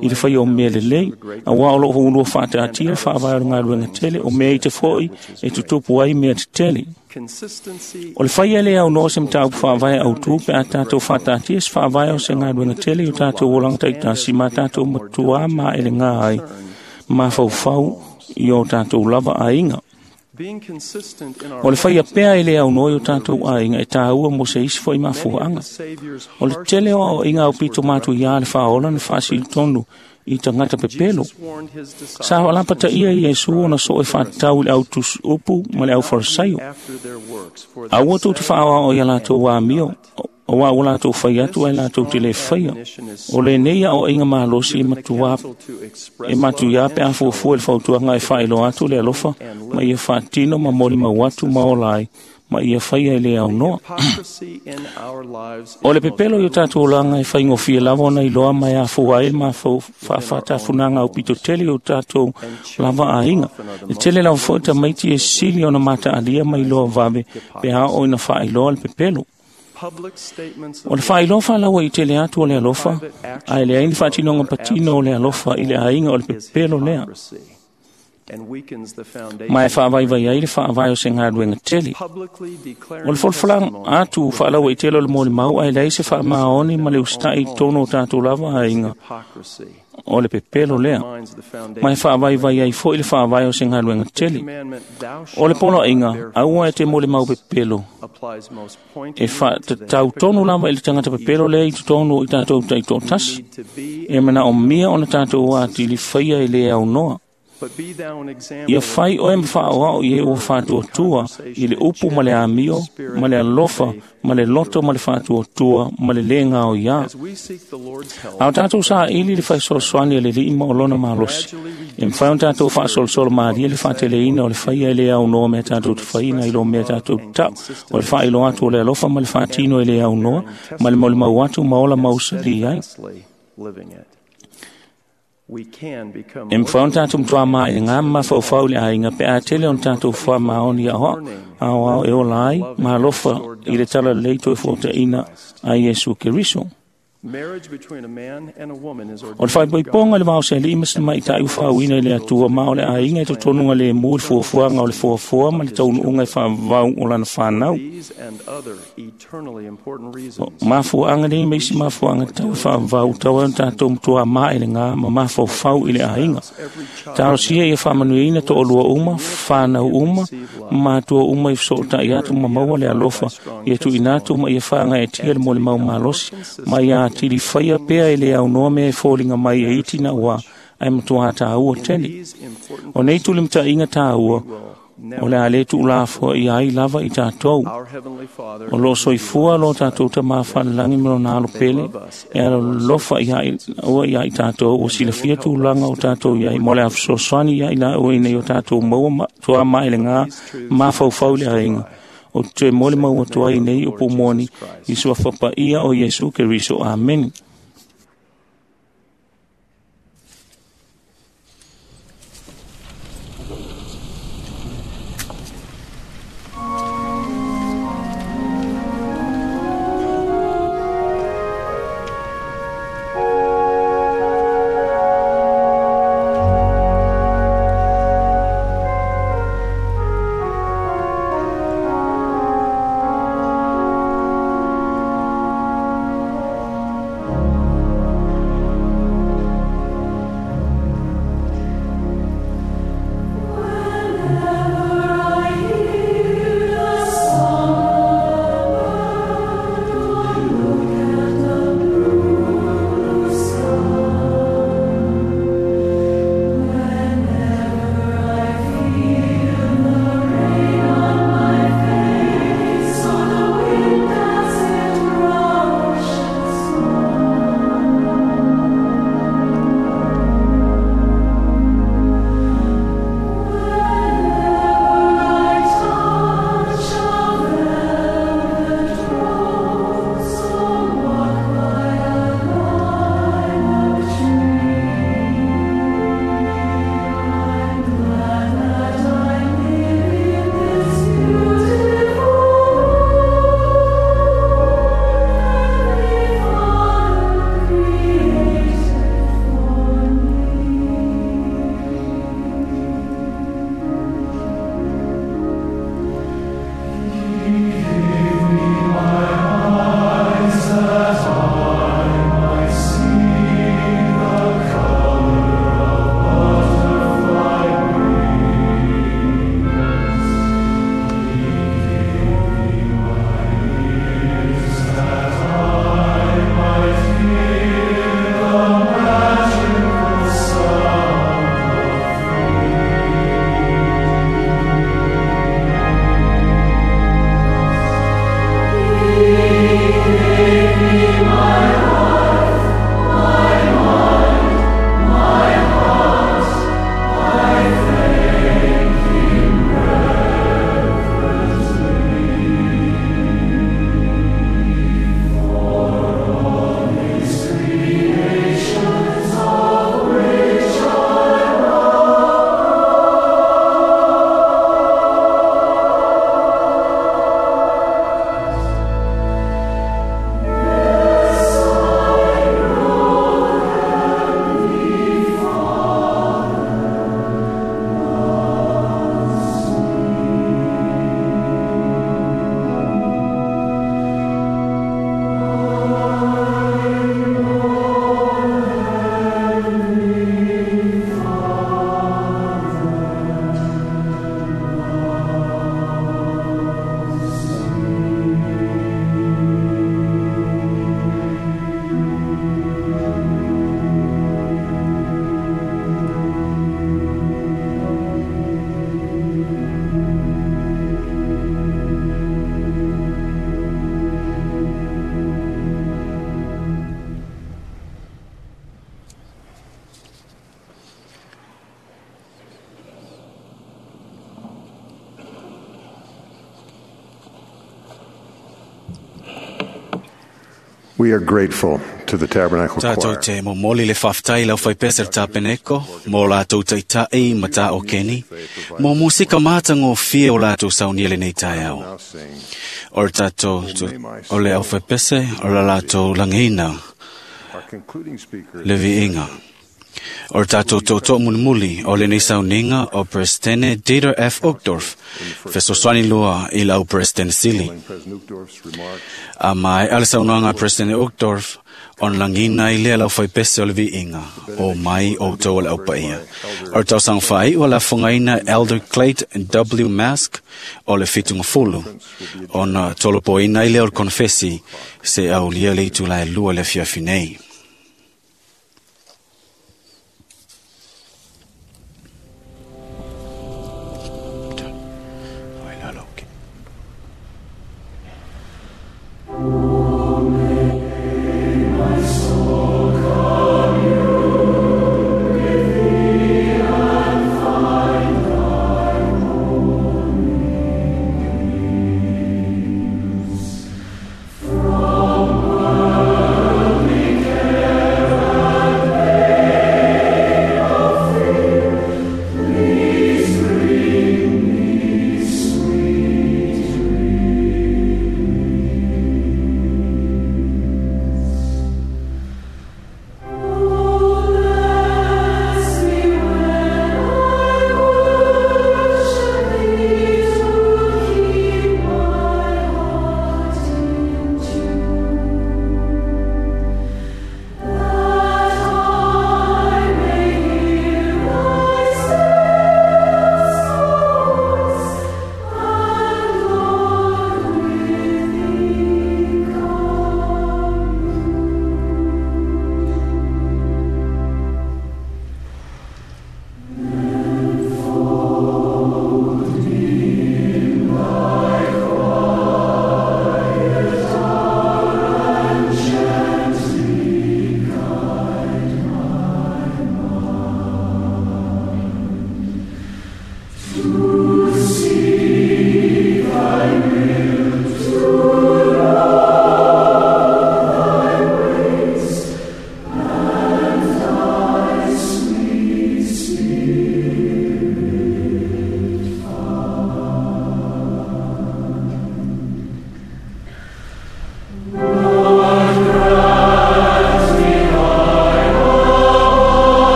i le faia o mea lelei, auā o loo ulua faataatia le faavae o le galuega tele, o mea ite foʻi e tutupu ai mea tetele. consistency O le faia le aunoa se mataupu faavae autū pe a tatou faataatia se faavae o se galuega tele i o tatou olaga taitasi ma tatou matuā maelegā ai mafaufau i o tatou lava aiga. being consistent in our O le faia pea e le aunoa i o tatou aiga e tāua mo se isi foʻi mafuaaga. Savior's O le tele o aoaiga aupito matuiā le faaola na faasilitonu i tagata pepelo. warned his disciples Sa laapataia Iesu ona soo e faatatau i le autusuupu ma le aufarisaio. after their works, for Aua tou te faaoao ia latou amio, auā ua latou fai atu ae latou te lē faia. O lenei aoaiga malosi e matuā e matuiā pe a fuafua i le fautuaga e faailoa atu le alofa ma ia faatino ma molimau atu ma ola ai ma ia faia e le aunoa. hypocrisy in our lives O le pepelo i o tatou olaga e faigofie lava ona iloa ma e afua ai le mafau faafatafunaga aupito tele i o tatou lava aiga. E tele lava foʻi tamaiti e sili ona mataalia ma iloa vave pe a oo ina faailoa le pepelo. public statements O le faailoa faalaua i tele atu o le alofa, ae leai ni faatinoga patino o le alofa i le aiga o le pepelo lea. and weakens the foundation Ma e faavaivai ai le faavae o se galuega tele. publicly declaring O le folafolaga atu faalaua i tele o le molimau ae leai se faamaoni ma le usitai i totonu o tatou lava aiga hypocrisy o le pepelo lea. minds the foundation Ma e faavaivai ai foʻi le faavae o se galuega tele. commandment thou O le shalt poloaiga, not bear aua e te molimau pepelo applies most e pointedly faatatau tonu lava i le tagata pepelo lea i totonu i tatou taitoatasi. E manaomia ona tatou atili faia e le aunoa. Ia fai oe ma faaoao i e ua faatuatua i le upu ma le amio, ma le alofa, ma le loto ma le faatuatua, ma le lē gaoiā. A o tatou saili le faisoasoani a le Alii ma o lona malosi, e mafai ona tatou faasolosolo malie le faateleina o le faia e lē aunoa mea tatou te faiina i lo mea tatou te tau, o le faailoa atu o le alofa ma le faatino e lē aunoa, ma le molimau atu ma ola mausali ai. E mafai ona tatou matuā maʻiga ma mafaufau i le aiga pe a tele ona tatou faamaoni aoao e ola ai ma alofa i le talalelei toe fuataʻina a Iesu Keriso. O le faaipoipoga i le vaosealii ma se tamaitaʻi ua faauuina i le Atua ma o le aiga e totonuga lemu i le fuafuaga o le foafoa ma le taunuuga e faavavau o lana fanau. Mafuaaga nei ma isi mafuaaga tatau e faavavau tau ai ona tatou matuā maʻelegā ma mafaufau i le aiga. Talosia ia faamanuiaina toalua uma, fanau uma, ma matua uma i fesootai atu ma maua le alofa ia tuuina atu ma ia faagaeetia le molimau malosi ma ia atili faia pea e le aunoa mea e foliga mai e iti na ua ae matuā tāua tele. O nei tulimataʻiga tāua, o le a lē tuulafoaia ai lava i tatou. O loo soifua lo tatou Tamā falelagi ma lona alo pele e alolofa ua iā i tatou ua silafia tulaga o tatou iai mo le afesoasoani iā i laua ina ia o tatou maua tuā maelegā mafaufau i le aiga. O te toe molimau atu ai nei upu moni i suafa paia o Iesu Keriso. Amene. We are grateful to the Tabernacle Tātou Choir. te momoli le whaftai lau whaipese le tapeneko, mō lātou taitai ma tā o Keni, mō musika māta ngō fie o lātou saunia le nei taeao. O le tātou, o le au whaipese, o le lātou langeina, Our concluding speaker le viinga. O le tātou tōtō mulimuli o lenei sauniga o Presidente Dieter F. Uchtdorf, fesoasoani lua i lau President Sili. President Uchtdorf's remarks A mai a le saunoaga a President Uchtdorf, ona lagina ai lea lau faipese o le viiga, o mai outou o le aupaia. O le tausaga faaiu o le afogaina Elder Clayton W. Mask o le fitugafulu, ona tolopoina ai lea o le konefesi se aulia le itula e 2 le afiafi nei.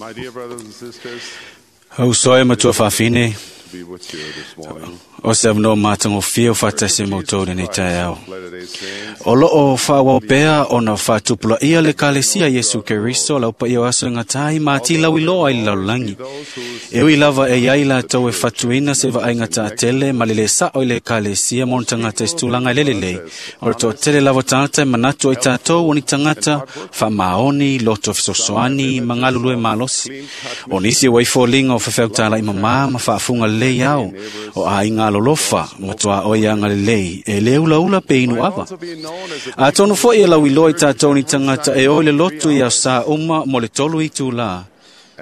My dear brothers and sisters, Uso e matua faafine, to be with you this morning. o se avanoa matagofie o faatasi ma outou lenei taeao. Latter-day Saints, O loo faaauau pea ona faatupulaia le kalesia Iesu Keriso lau paia o aso e gatai ma ati lauiloa i le lalolagi. E ui lava e iai latou e fatuina se vaaiga taatele ma le lē saʻo i le ekalesia ma ona tagata i se tulaga e lelelei. O le toatele lava tagata e manatu ai tatou o ni tagata faamaoni, loto fesoasoani ma galulue malosi. O nisi ua ifoliga o faifeau mamā ma faafuga lelei ao, o aiga alolofa ma tuaoi agalelei e lē ulaula pe inu ava. Atonu foi e lauiloa i tatou ni tagata e o i le lotu i aosā uma mo le 3 itulā.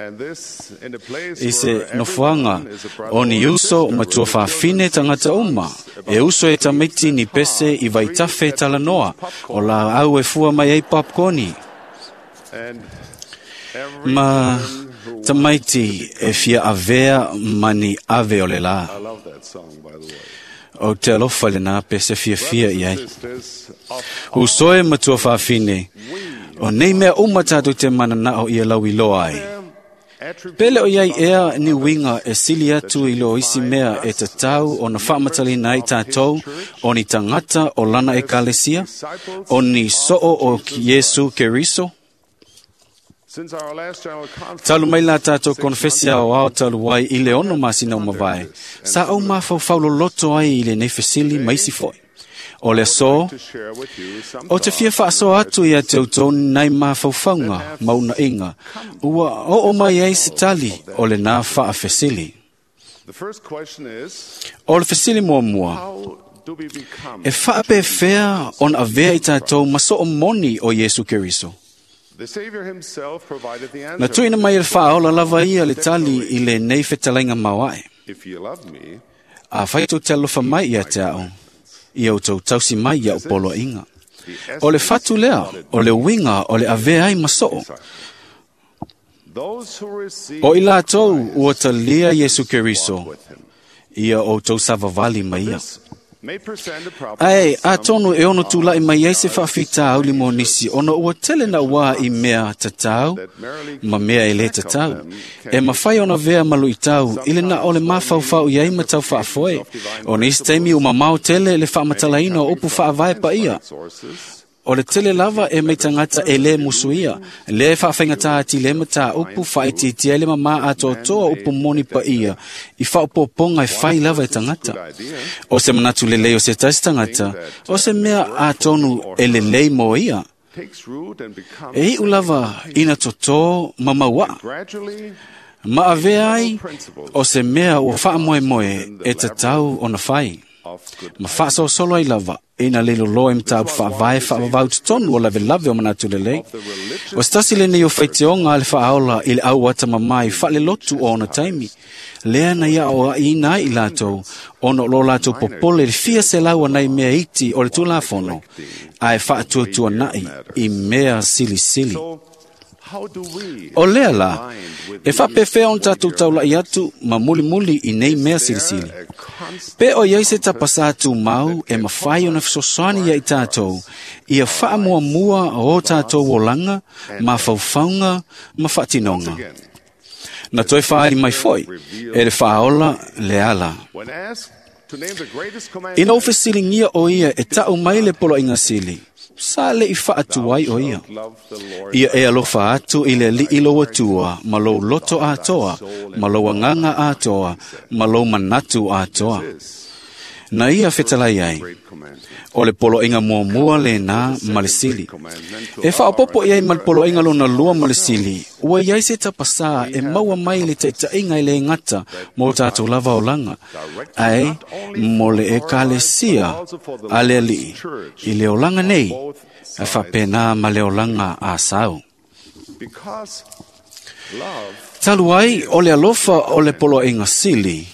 and this in a place I se where nofoaga everyone is a brother o ni or uso sister, ma tua faafine tagata uma, e uso e tamaiti ni pese i vaitafe e talanoa, o laau e fua mai ai popcorni. and every Ma tamaiti e fia avea ma ni ave o le lā. I love that song, by the way. O te alofa lenā pese fiafia i ai. Sisters of Uso e matua faafine, o nei mea uma tātou te mananao ia lauiloa ai. Pele o iai ea ni uiga e sili atu i lo isi mea e tatau ona faamatalaina ai tātou o ni tagata o lana ekalesia, o ni soo o Iesu Keriso. Talu mai la tātou konfesi ao ao talu ai i le 6 masina o mavae, sa au mafaufau loloto ai i lenei fesili ma isi foi. O le aso, o te fia faasoa atu ia te outou nai mafaufauga ma unaiga, ua oo mai ai se tali o lenā faafesili. O le fesili muamua, e faapefea ona avea i tātou ma soo moni o Iesu Keriso? Na tuuina mai e le faaola lava ia le tali i lenei fetalaiga maoae. Afai tou te alofa mai ia te au, ia outou tausi mai ia'u poloaiga. O le fatu lea, o le uiga o le avea ai ma soo. O i latou ua talia Iesu Keriso, ia outou savavali ma ia. Ae atonu e ono tula'i mai ai se faafitauli mo nisi ona ua tele nauā i mea tatau ma mea e lē tatau, e mafai ona avea ma luʻitau i le na o le mafaufau i ai ma tau faafoe. O nisi taimi ua mamao tele le faamatalaina o upu faavae paia. O le tele lava e mai tagata e lē musuia, lea e faafaigata atili ai mataupu faaitiitia ai le mamā atoatoa o upu moni paia i faaopoopoga e fai lava e tagata. O se manatu lelei o se tasi tagata, o se mea atonu e lelei mo ia. E iʻu lava ina totō ma mauaʻa, ma avea ai o se mea ua faamoemoe e tatau ona fai, ma faasolosolo ai lava ina le loloa i mataupu faavae faavavau totonu o lavelave o manatu lelei. O se tasi lenei o faitioga a le faaola i le au atamamai faalelotu o ona taimi, lea na ia aoaʻiina ai i latou ona o lo latou popole i le fia selau anai mea iti o le Tulafono, ae faatuatuanaʻi i mea silisili. O lea la, e faapefea ona tatou taulaʻi atu ma mulimuli i nei mea silisili? Pe o iai se tapasā tumau e mafai ona fesoasoani ia i tātou, ia faamuamua o tātou olaga, mafaufauga ma faatinoga. Na toe faaali mai foi e le faaola le ala. Ina ua fesiligia o ia e taʻu mai le poloaiga sili, sa leʻi faatu ai o ia. Ia e alofa atu i le Alii lou Atua ma lou loto atoa, ma lou agaga atoa, ma lou manatu atoa. Na ia fetalai ai, o le poloaiga muamua lenā ma le sili. E faaopoopo i ai ma le poloaiga lona lua ma le sili, ua iai se tapasā e maua mai le taʻitaʻiga e lē gata mo tatou lava olaga, ae mo le Ekalesia a le Alii i le olaga nei, ae faapena ma le olaga asau. Talu ai o le alofa o le poloaiga sili,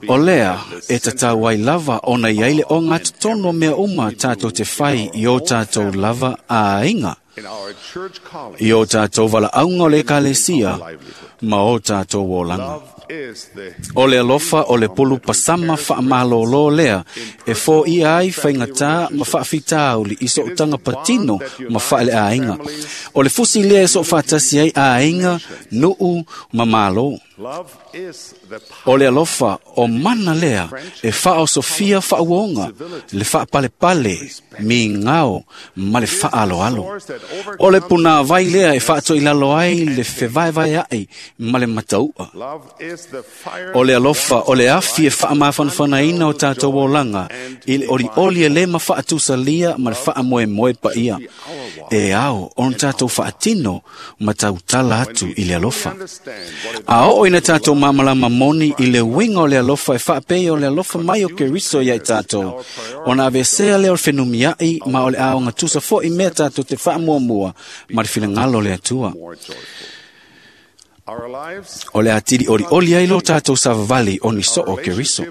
o lea e tatau ai lava ona iai le ogatotonu o mea uma tatou te fai i o tatou lava aiga, i o tatou valaauga o le Ekalesia ma o tatou olaga. O le alofa o le pulu pasama faamalōlō lea e foia ai faigatā ma faafitauli i sootaga patino ma faaleaiga. O le fusi lea e soofaatasi ai aiga, nuu ma mālō. O le alofa o mana lea e faaosofia faauoga, le faapalepale, migao ma le faaaloalo. O le punāvai lea e faatoilalo ai le fevaevaeaʻi ma le matauʻa. O le alofa o le afi e faamafanafanaina o tatou olaga i le olioli e lē mafaatusalia ma le faamoemoe paia. E ao ona tatou faatino ma tautala atu i le alofa. A oo ina tatou malamalama moni i le uiga o le alofa e faapei o le alofa mai o Keriso ia i tatou, ona aveesea lea o le fenumiaʻi ma o le a ogatusa foʻi mea tatou te faamuamua ma le finagalo o le Atua. O le atili olioli ai lo tatou savavali o ni soo o Keriso.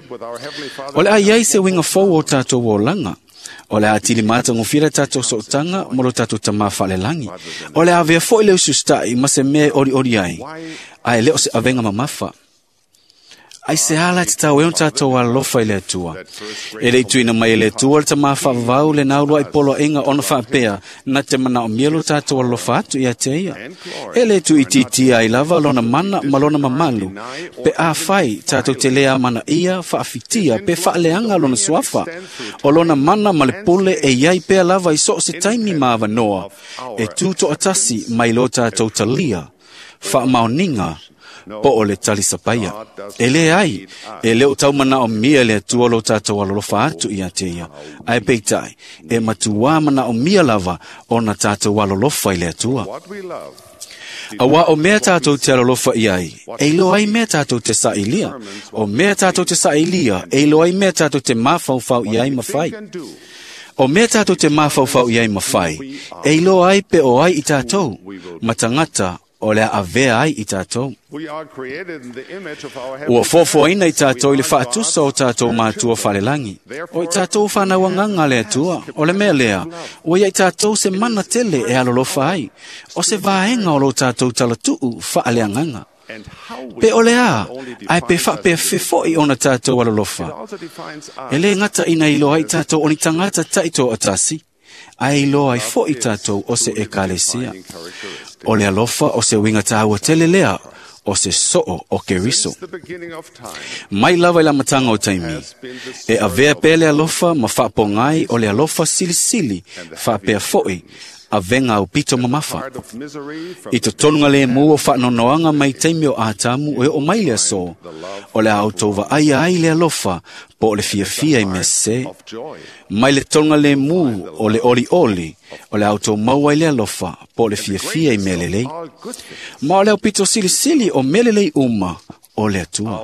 O le a iai se uiga fou o tatou olaga. O le atili matagofie le tatou sootaga ma lo tatou tamā faalelagi. O le avea foʻi le ususitaʻi ma se mea e olioli ai, ae le o se avega mamafa. Ai se ala te tau e ona tātou alolofa i le Atua. E le i tuuina mai e le Atua le tamā faavavau le naulua i poloaiga ona faapea, na te manaomia lo tātou alolofa atu ia te ia. E le tuuitiitia ai lava lona mana ma lona mamalu, pe afai tātou te le amanaia, faafitia pe faaleaga lona suafa. O lona mana ma le pule e iai pea lava i so o se taimi ma avanoa, e tu toatasi mai lo tātou talia, faamaoniga, po o le talisapaia. E le ai, e le o taumanaomia le Atua lo tātou alolofa atu ia te ia. Ae peitai, e matuā manaomia lava ona tātou alolofa i le Atua. Auā o mea tātou te alolofa i ai, e iloa ai mea tātou te sailia. O mea tātou te sailia, e iloa ai mea tātou te mafaufau i ai ma fai. O mea tātou te mafaufau i ai ma fai, e iloa ai pe o ai i tātou, ma tagata o le a avea ai i tātou. Ua foafoaina i tātou i le faatusa o tātou matua falelagi. O i tātou whanauangaga le Atua, o le mea lea, ua ia i tātou se mana tele e alolofa ai, o se vaega o lo tātou talatuu faaleagaga. Pe o le a, ae pe faapea fefo'i ona tātou alolofa. E le gata ina iloa ai tātou o ni tagata taitoatasi, ae iloa ai fo'i tātou o se ekalesia. O le alofa o se uiga tāua tele lea, o se soo o Keriso. Mai lava i le amataga o taimi, e avea pea le alofa ma faapogai o le alofa silisili, faapea fo'i, avega aupito mamafa. I totonu lemu o faanoanoaga mai taimi o Atamu e oo mai le aso, o le a outou vaaia ai le alofa po o le fiafia i mea sesē. Mai le tologa lemu o le olioli, o le a outou maua ai le alofa po o le fiafia i mea lelei. Ma o le aupito silisili o mea lelei uma o le Atua.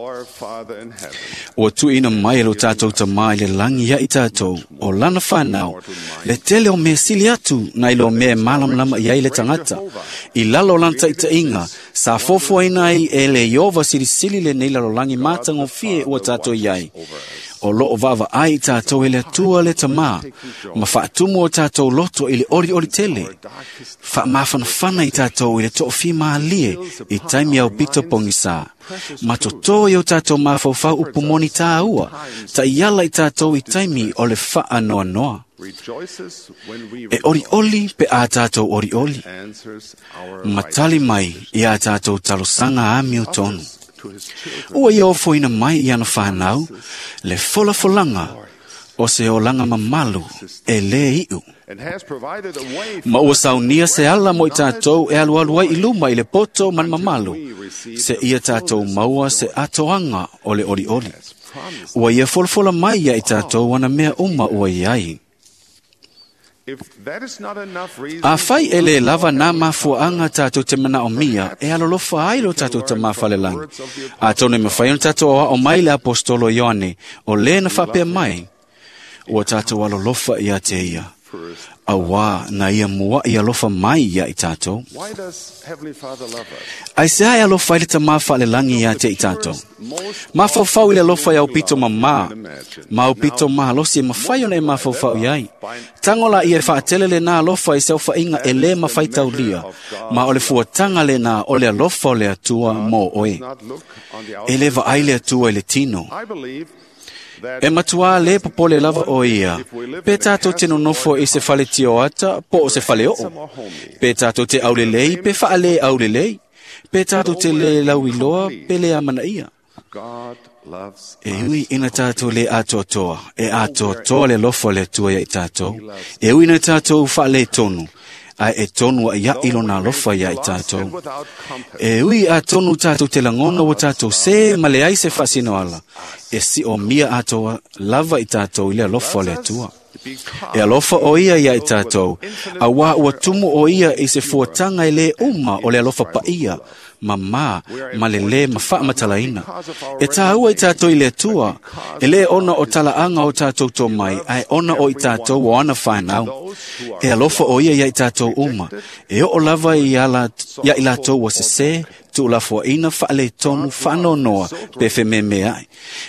Ua tuuina mai e lo tātou tamā i le lagi ia i tātou, o lana whanau, le tele o mea sili atu nai lo mea e malamalama i ai le tagata. I lalo o lana taitaiga, sa foafoaina ai e le Iova silisili lenei lalolagi matagofie ua tātou i ai. O loo vaavaai i tātou e le Atua le tamā, ma faatumu o tātou loto i le olioli tele. Faamafanafana i tātou i le toofimālie i taimi au pito pogisā. Ma totō i o tātou mafaufau upu moni tāua, taiala i tātou i taimi o le faanoanoa. E olioli pe a tātou olioli. Ma tali mai i a tātou talosaga amio tonu. Ua ia ofoina mai i ana whanau, le folafolaga o se olaga mamalu e lē iʻu. Ma ua saunia se ala mo i tātou e alualu ai i luma i le poto ma le mamalu, se ia tātou maua se atoaga o le olioli. Ua ia folafola mai ia i tātou ana mea uma ua i ai. Afai e le lava nā mafuaaga tātou te manaomia e alolofa ai lo tātou tamā falelagi. Atonu e mafai ona tātou aoao mai le apostolo Ioane, o lē na faapea mai, ua tātou alolofa ia te ia, auā na ia muaʻi alofa mai ia i tātou. Ai se ae alofa ai le tamā faalelagi ia te i tātou. Mafaufau i le alofa i aupito mamā, ma aupito malosi e mafai ona e mafaufau i ai. Tago la ia e faatele lenā alofa i se aofaiga e lē mafai taulia, ma o le fuataga lenā o le alofa o le Atua mo oe. E lē vaai le Atua i le tino. E matuā lē popole lava o ia, pe tātou te nonofo i se fale tioata po o se fale oo, pe tātou te aulelei pe faalē aulelei, pe tātou te lē lauiloa pe lē amanaia. E ui ina tātou lē atoatoa, e atoatoa le alofa o le Atua ia i tātou. E ui ina tātou faalē tonu, ae e tonu aʻiaʻi lona alofa ia i tātou. E ui atonu tātou te lagona ua tātou sē ma leai se faasinoala, e siomia atoa lava i tātou i le alofa o le Atua. E alofa o ia ia i tātou, auā ua tumu o ia i se fuataga e lē uma o le alofa paia, mamā ma le lē ma faamatalaina. E tāua i tātou i le Atua, e lē ona o talaaga o tātou tomai, ae ona o i tātou o ana whanau. E alofa o ia ia i tātou uma, e oo lava ia i latou ua sesē, tuulafoaina faaletonu faanoanoa pe fememeaʻi.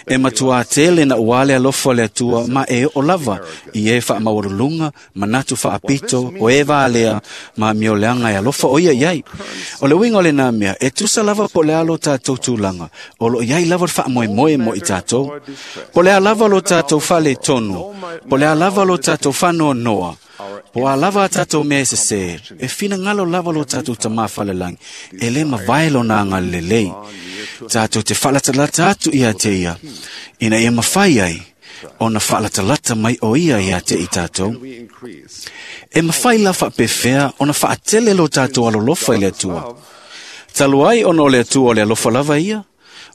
E matuā tele na uā le alofa o le Atua ma e oo lava i e faamaualuluga manatu faapito o e valea ma amioleaga e alofa o ia i ai. O le uiga o lenā mea, e tusa lava po o le a lo tatou tulaga, o loo i ai lava le faamoemoe mo i tatou. Po o le a lava lo tatou faaletonu, po o le a lava lo tatou faanoanoa, po a lava a tatou mea e sesē, e finagalo lava lo tatou Tamā falelagi, e lē mavae lona agalelei. Tatou te faalatalata atu ia te ia, ina ia mafai ai ona faalatalata mai o ia ia te i tatou. E mafai la faapefea ona faatele lo tatou alolofa i le Atua. Talu ai ona o le Atua o le alofa lava ia,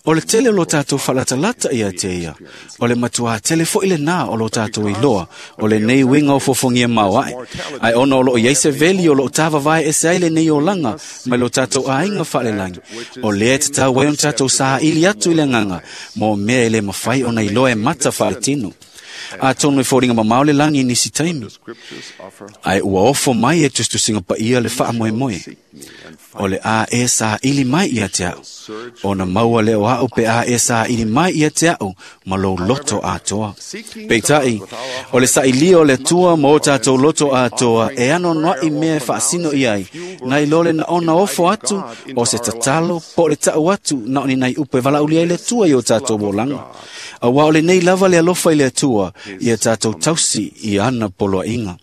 o le tele o lo tatou faalatalata ia te ia, o le matuā tele foʻi lenā o lo tatou iloa, o lenei uiga o fofogia maoaʻe. Ae ona o loo i ai se veli o loo tavavae ese ai lenei olaga mai lo tatou aiga faalelagi, o lea e tatau ai ona tatou saili atu i le agaga mo mea e lē mafai ona iloa e mata faaletino. Atonu e foliga mamao le lagi i nisi taimi, ae ua ofo mai e tusitusiga paia le faamoemoe. O le a e saili mai ia te a'u, ona maua lea o a'u pe a e saili mai ia te a'u ma lou loto atoa. Peitai, o le sailia o le Atua ma o tatou loto atoa e anoanoaʻi mea e faasino i ai, nai lo le naona ofo atu o se tatalo po o le taʻu atu na o ni nai upu e valaaulia ai le Atua i o tatou olaga. Auā o lenei lava le alofa i le Atua ia tatou tausi i ana poloaiga.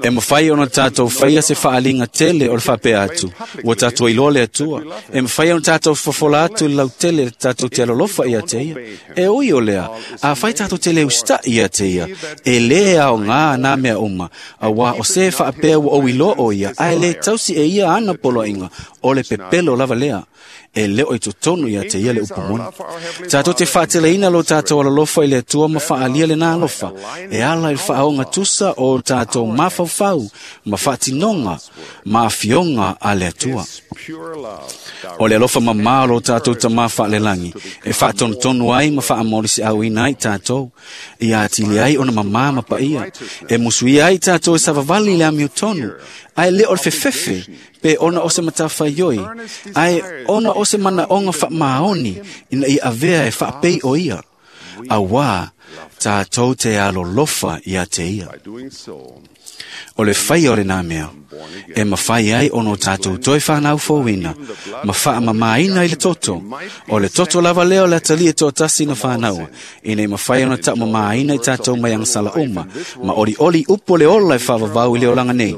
E mafai ona tatou faia se faaliga tele o le faapea atu, ua tatou iloa le Atua. E mafai ona tatou fofola atu i le lautele tatou te alolofa ia te ia. E ui o lea, afai tatou te le usitaʻi ia te ia, e lē aogā nā mea uma, auā o se faapea ua ou iloa o ia, ae lē tausi e ia ana poloaiga, o le pepelo lava lea. E lē o i totonu ia te ia le upu moni. Tatou te faateleina lo tatou alolofa i le Atua ma faaalia lenā alofa, e ala i le faaoga tusa o tatou mafaufau ma faatinoga ma afioga a le Atua. O le alofa mamā o lo tatou Tamā faalelagi, e faatonutonu ai ma faamolisiauina ai tatou, ia atili ai ona mamā ma paia, e musuia ai tatou e savavali i le amiotonu, ae lē o le fefefe pe ona o se matafaioi, ae ona o se manaoga faamaoni ina ia avea e faapei o ia. Auā tatou te alolofa ia te ia. O le faia o lenā mea, e mafai ai ona o tatou toe fanau fouina, ma faamamāina i le toto. O le toto lava lea o le atalia toatasi na fanaua, ina i mafai ona taumamāina i tatou mai agasala uma, ma olioli upu o le ola e faavavau i le olaga nei,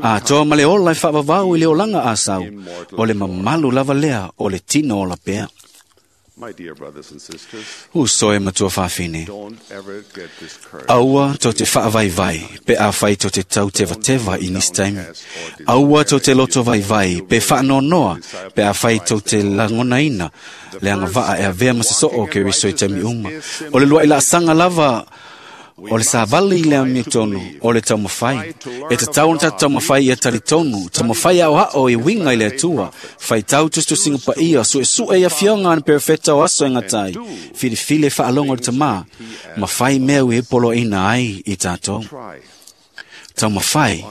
atoa ma le ola e faavavau i le olaga asau, o le mamalu lava lea o le tino ola pea. Uso e matua faafine, aua to te faavaivai pe afai to te tau tevateva i nisi taimi. Aua to te loto vaivai pe faanoanoa pe afai to te lagonaina le agavaa e avea ma se soo o Keriso i taimi uma. O le luaʻi laasaga lava o le savali i le amiotonu o le taumafai. E tatau ona tatou taumafai ia talitonu, taumafai aoao i uiga i le Atua, faitau tusitusiga paia, suesue i afioga a ni perofeta o aso e gatai, filifili e faalogo i le Tamā, ma fai mea ua e poloaina ai i tatou. Taumafai,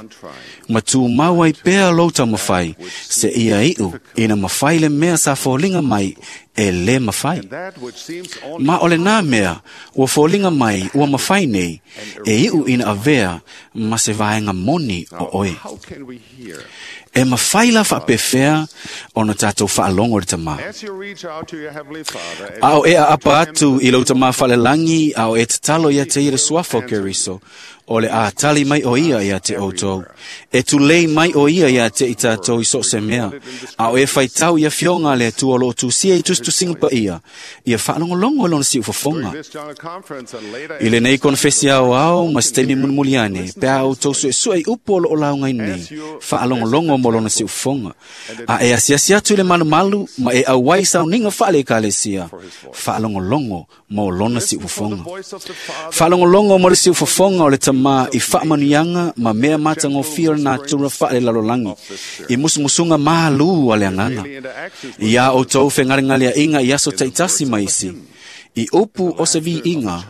ma tumau ai pea lou taumafai, se ia iu ina mafai le mea sa foliga mai e lē mafai. Ma o lenā mea ua foliga mai ua mafai nei, e iu ina avea ma se vaega moni o oe. E mafai la faapefea ona tatou faalogo i le Tamā. A o e aapa atu i lou Tamā faalelagi, a o e tatalo ia te ia le suafa o Keriso, o le a tali mai o ia ia te outou. E tulei mai o ia ia te i tatou i so o se mea, a o e faitau i afioga a le Atua o loo tusia i tusitusiga paia, ia faalogologo i lona siufofoga. I lenei konefesi aoao ma se taimi mulimuli ane, pe a outou suesue i upu o loo laugaina nei, faalogologo mo lona siufofoga. A e asiasi atu i le malumalu ma e auai sauniga faale-ekalesia, faalogologo mo lona siufofoga. Faalogologo mo le siufofoga o le Tamā i faamanuiaga ma mea matagofie o le natura faalelalolagi, i musumusuga malū a le agaga. Iā outou fegalegaleaʻiga i aso taitasi ma isi, i upu o se viiga,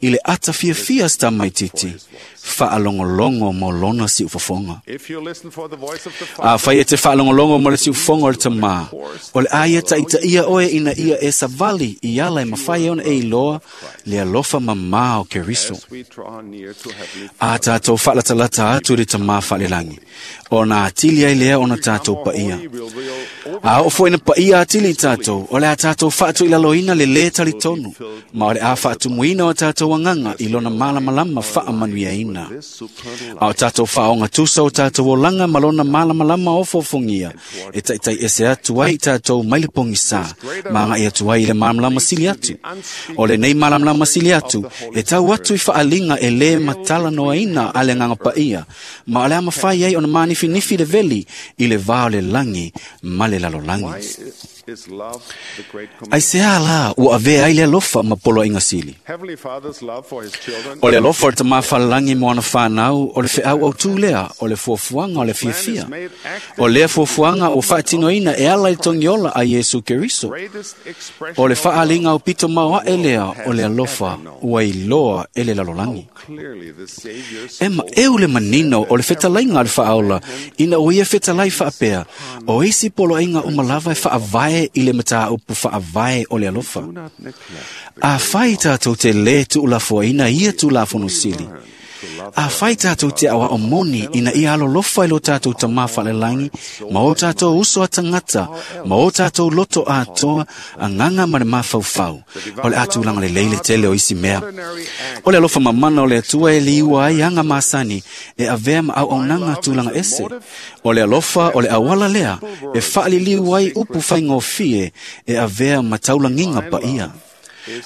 i le ata fiafia se tamaititi, Faalogologo mo lona siufofoga. Afai e te faalogologo mo le siufofoga o le Tamā, o le a ia taitaia oe ina ia e savali i ala e mafai ai ona e iloa le alofa mamā o Keriso. A tatou faalatalata atu i le Tamā faalelagi, ona atili ai lea ona tatou paia. A oo foi ina paia atili i tatou, o le a tatou faatuilaloina le lē talitonu, ma o le a faatumuina o tatou agaga i lona malamalama faamanuiaina. A o tatou faaogatusa o tatou olaga ma lona malamalama ofoofogia, e taitai ese atu ai i tatou mai le pogisā, ma agai atu ai i le malamalama sili atu. O lenei malamalama sili atu, e tau atu i faaliga e lē matalanoaina a le Agaga Paia, ma o le a mafai ai ona manifinifi le veli i le va o le lagi ma le lalolagi. Aisea la ua avea ai le alofa ma poloaiga sili? O le alofa o le Tamā falelagi mo ana whanau, o le feau au tū lea, o le fuafuaga o le fiafia. O lea fuafuaga ua faatinoina e ala i togiola a Iesu Keriso. O le faaliga o pito maoae lea o le alofa ua iloa e le lalolagi. E maeu le manino o le fetalaiga a le faaola ina ua ia fetalai faapea, o isi poloaiga uma lava e faavae i le mataupu faavae o le alofa. Afai tatou te lē tuulafoaina ia Tulafono sili, afai tatou te aoao moni ina ia alolofa i lo tatou Tamā faalelagi ma o tatou uso a tagata ma o tatou loto atoa, agaga ma le mafaufau, o le a tulaga lelei le tele o isi mea. O le alofa mamana o le Atua e liua ai aga masani e avea ma auaunaga tulaga ese. O le alofa o le auala lea e faaliliu ai upu faigofie e avea ma taulagiga paia.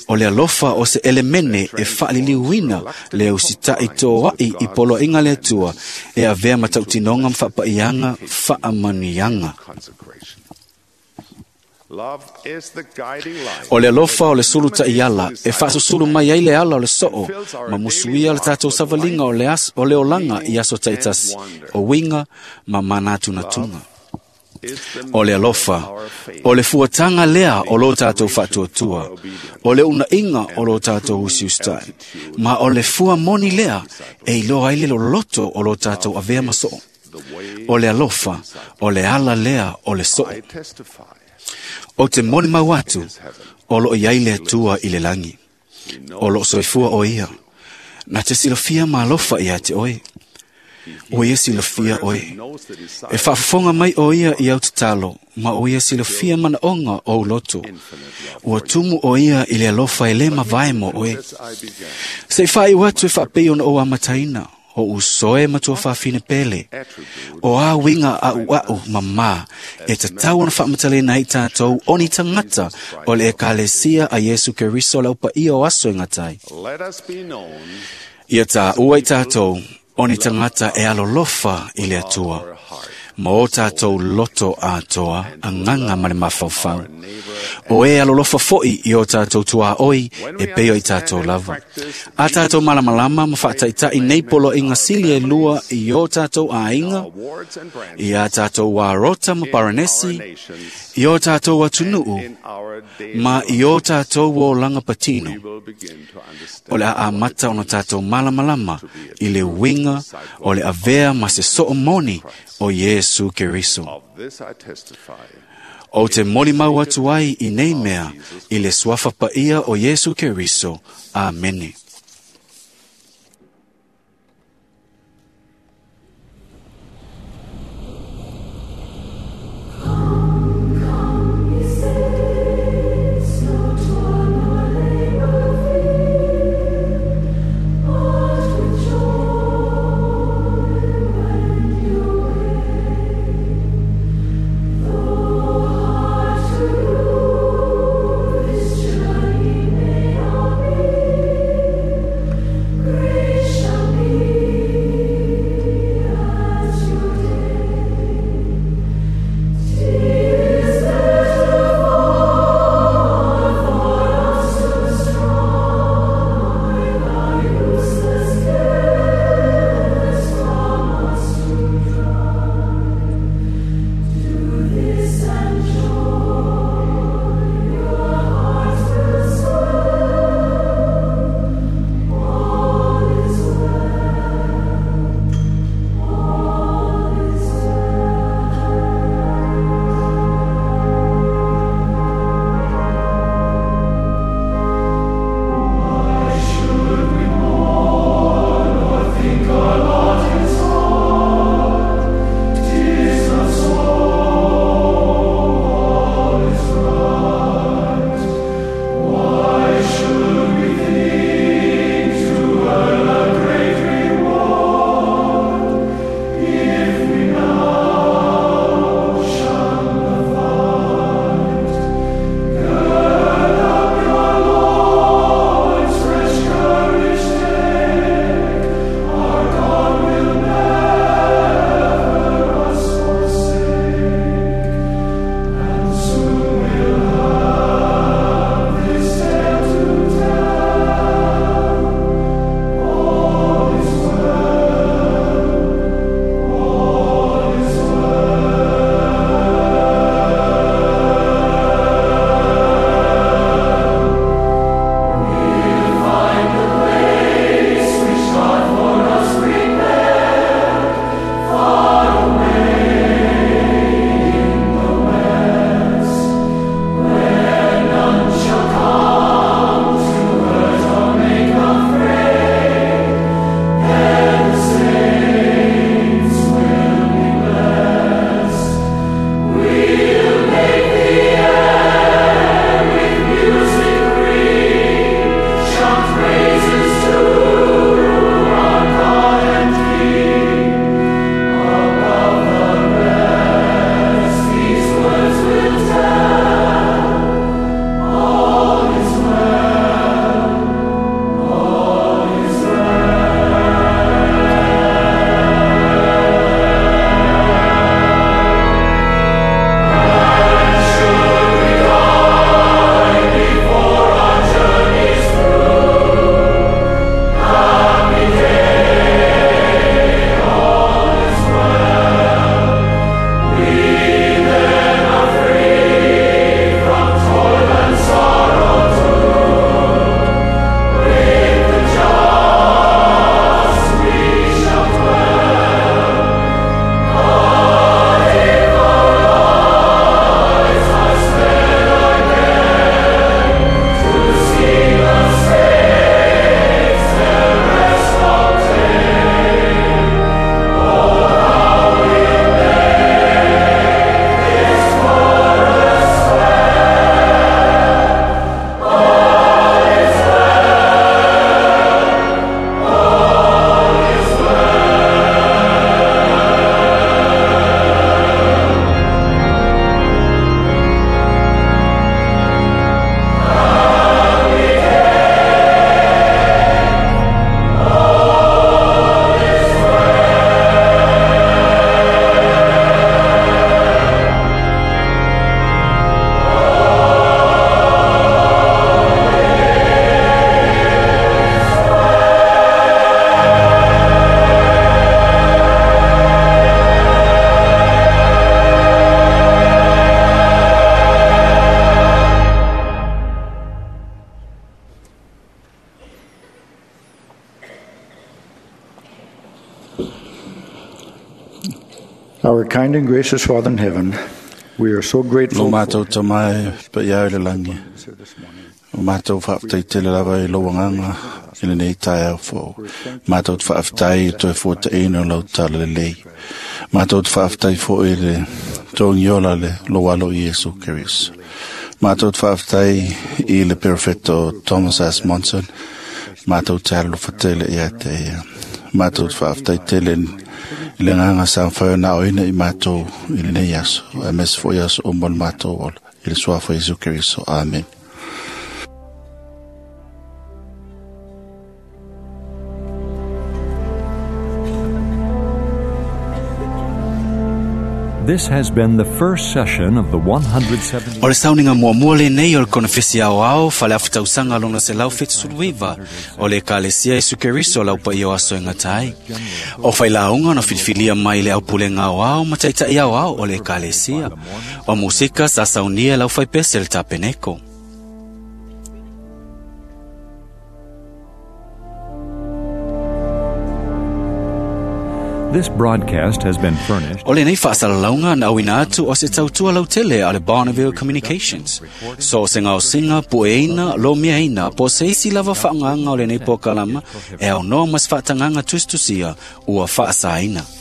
O le alofa o se elemene e faaliliuina le ausita'i toa'i i poloaiga le Atua e avea ma tautinoga ma faapaiaga faamanuiaga. O le alofa o le sulu ta'iala e faasusulu mai ai le ala o le so'o ma musuia le tatou savaliga o le, o le olaga i aso ta'itasi, o uiga ma manatunatuga. O le alofa, o le fuataga lea o lo tatou faatuatua, o le uunaiga o lo tatou usiusita'i, ma o le fua moni lea e iloa ai le loloto o lo tatou avea ma so'o. O le alofa, o le ala lea o le so'o. Ou te molimau atu, o loo i ai le Atua i le lagi. O loo soifua o ia. Na te silafia ma alofa ia te oe. Ua ia silafia oe. E faafofoga mai o ia i au tatalo, ma o ia silafia manaoga o ou loto. Ua tumu o ia i le alofa e lē mavae mo oe. Se i faaiu atu e faapei ona ou amataina, o usoe ma tuafafine pele. O a uiga a'ua'u mamā e tatau ona faamatalaina ai tatou o ni tagata o le Ekalesia a Iesu Keriso le aupaia o aso e gata ai. Ia tāua i tatou o ni tagata e alolofa i le Atua, ma o tatou loto atoa, agaga ma le mafaufau. O e alolofa fo'i i o tatou tuaoi e pei o i tatou lava. A tatou malamalama ma faataita'i nei poloaiga sili e lua i o tatou aiga, i a tatou arota ma paranesi, i o tatou atunuu, ma i o tatou olaga patino. O le a amata ona tatou malamalama i le uiga o le avea ma se soo moni o Iesu Keriso. Ou te molimau atu ai i nei mea i le suafa paia o Iesu Keriso. Amene. Journey may not be. kind and gracious Father in heaven, we are so Lo grateful mātou tamae pa iau le langi. O mātou whaaftai tele lava i lau anganga i le nei tae au fō. Mātou te whaaftai i toe fōta ino lau tala le lei. Mātou te whaaftai fō i le tōngiola le lo alo i Yesu Keriso. Mātou te whaaftai i le perfecto Thomas S. Monson. Mātou te alofa tele ia te ia. Mātou te whaaftai tele i le nganga sa whaio nā oina i mātou i le nei aso. A mes fo i aso o mo le mātou ola. I le suafa Yesu Keriso. Amen. This has been the first session of the 170. O le sauniga muamua lenei o le konefesi aoao faleafotausaga lona 179 o le Ekalesia Iesu Keriso lau paia o aso e gata ai. O failauga na filifilia mai le aupulega aoao ma taita'i aoao o le Ekalesia. O musika sa saunia lau faipese le tapeneko. This broadcast has been furnished. O lenei faasalalauga na auina atu o se tautua lautele a le Bonneville Communications. So o se gaosiga pueina lomiaina po o se isi lava faaaogaga o lenei polokalama e aunoa ma se faatagaga tusitusia ua faasaina.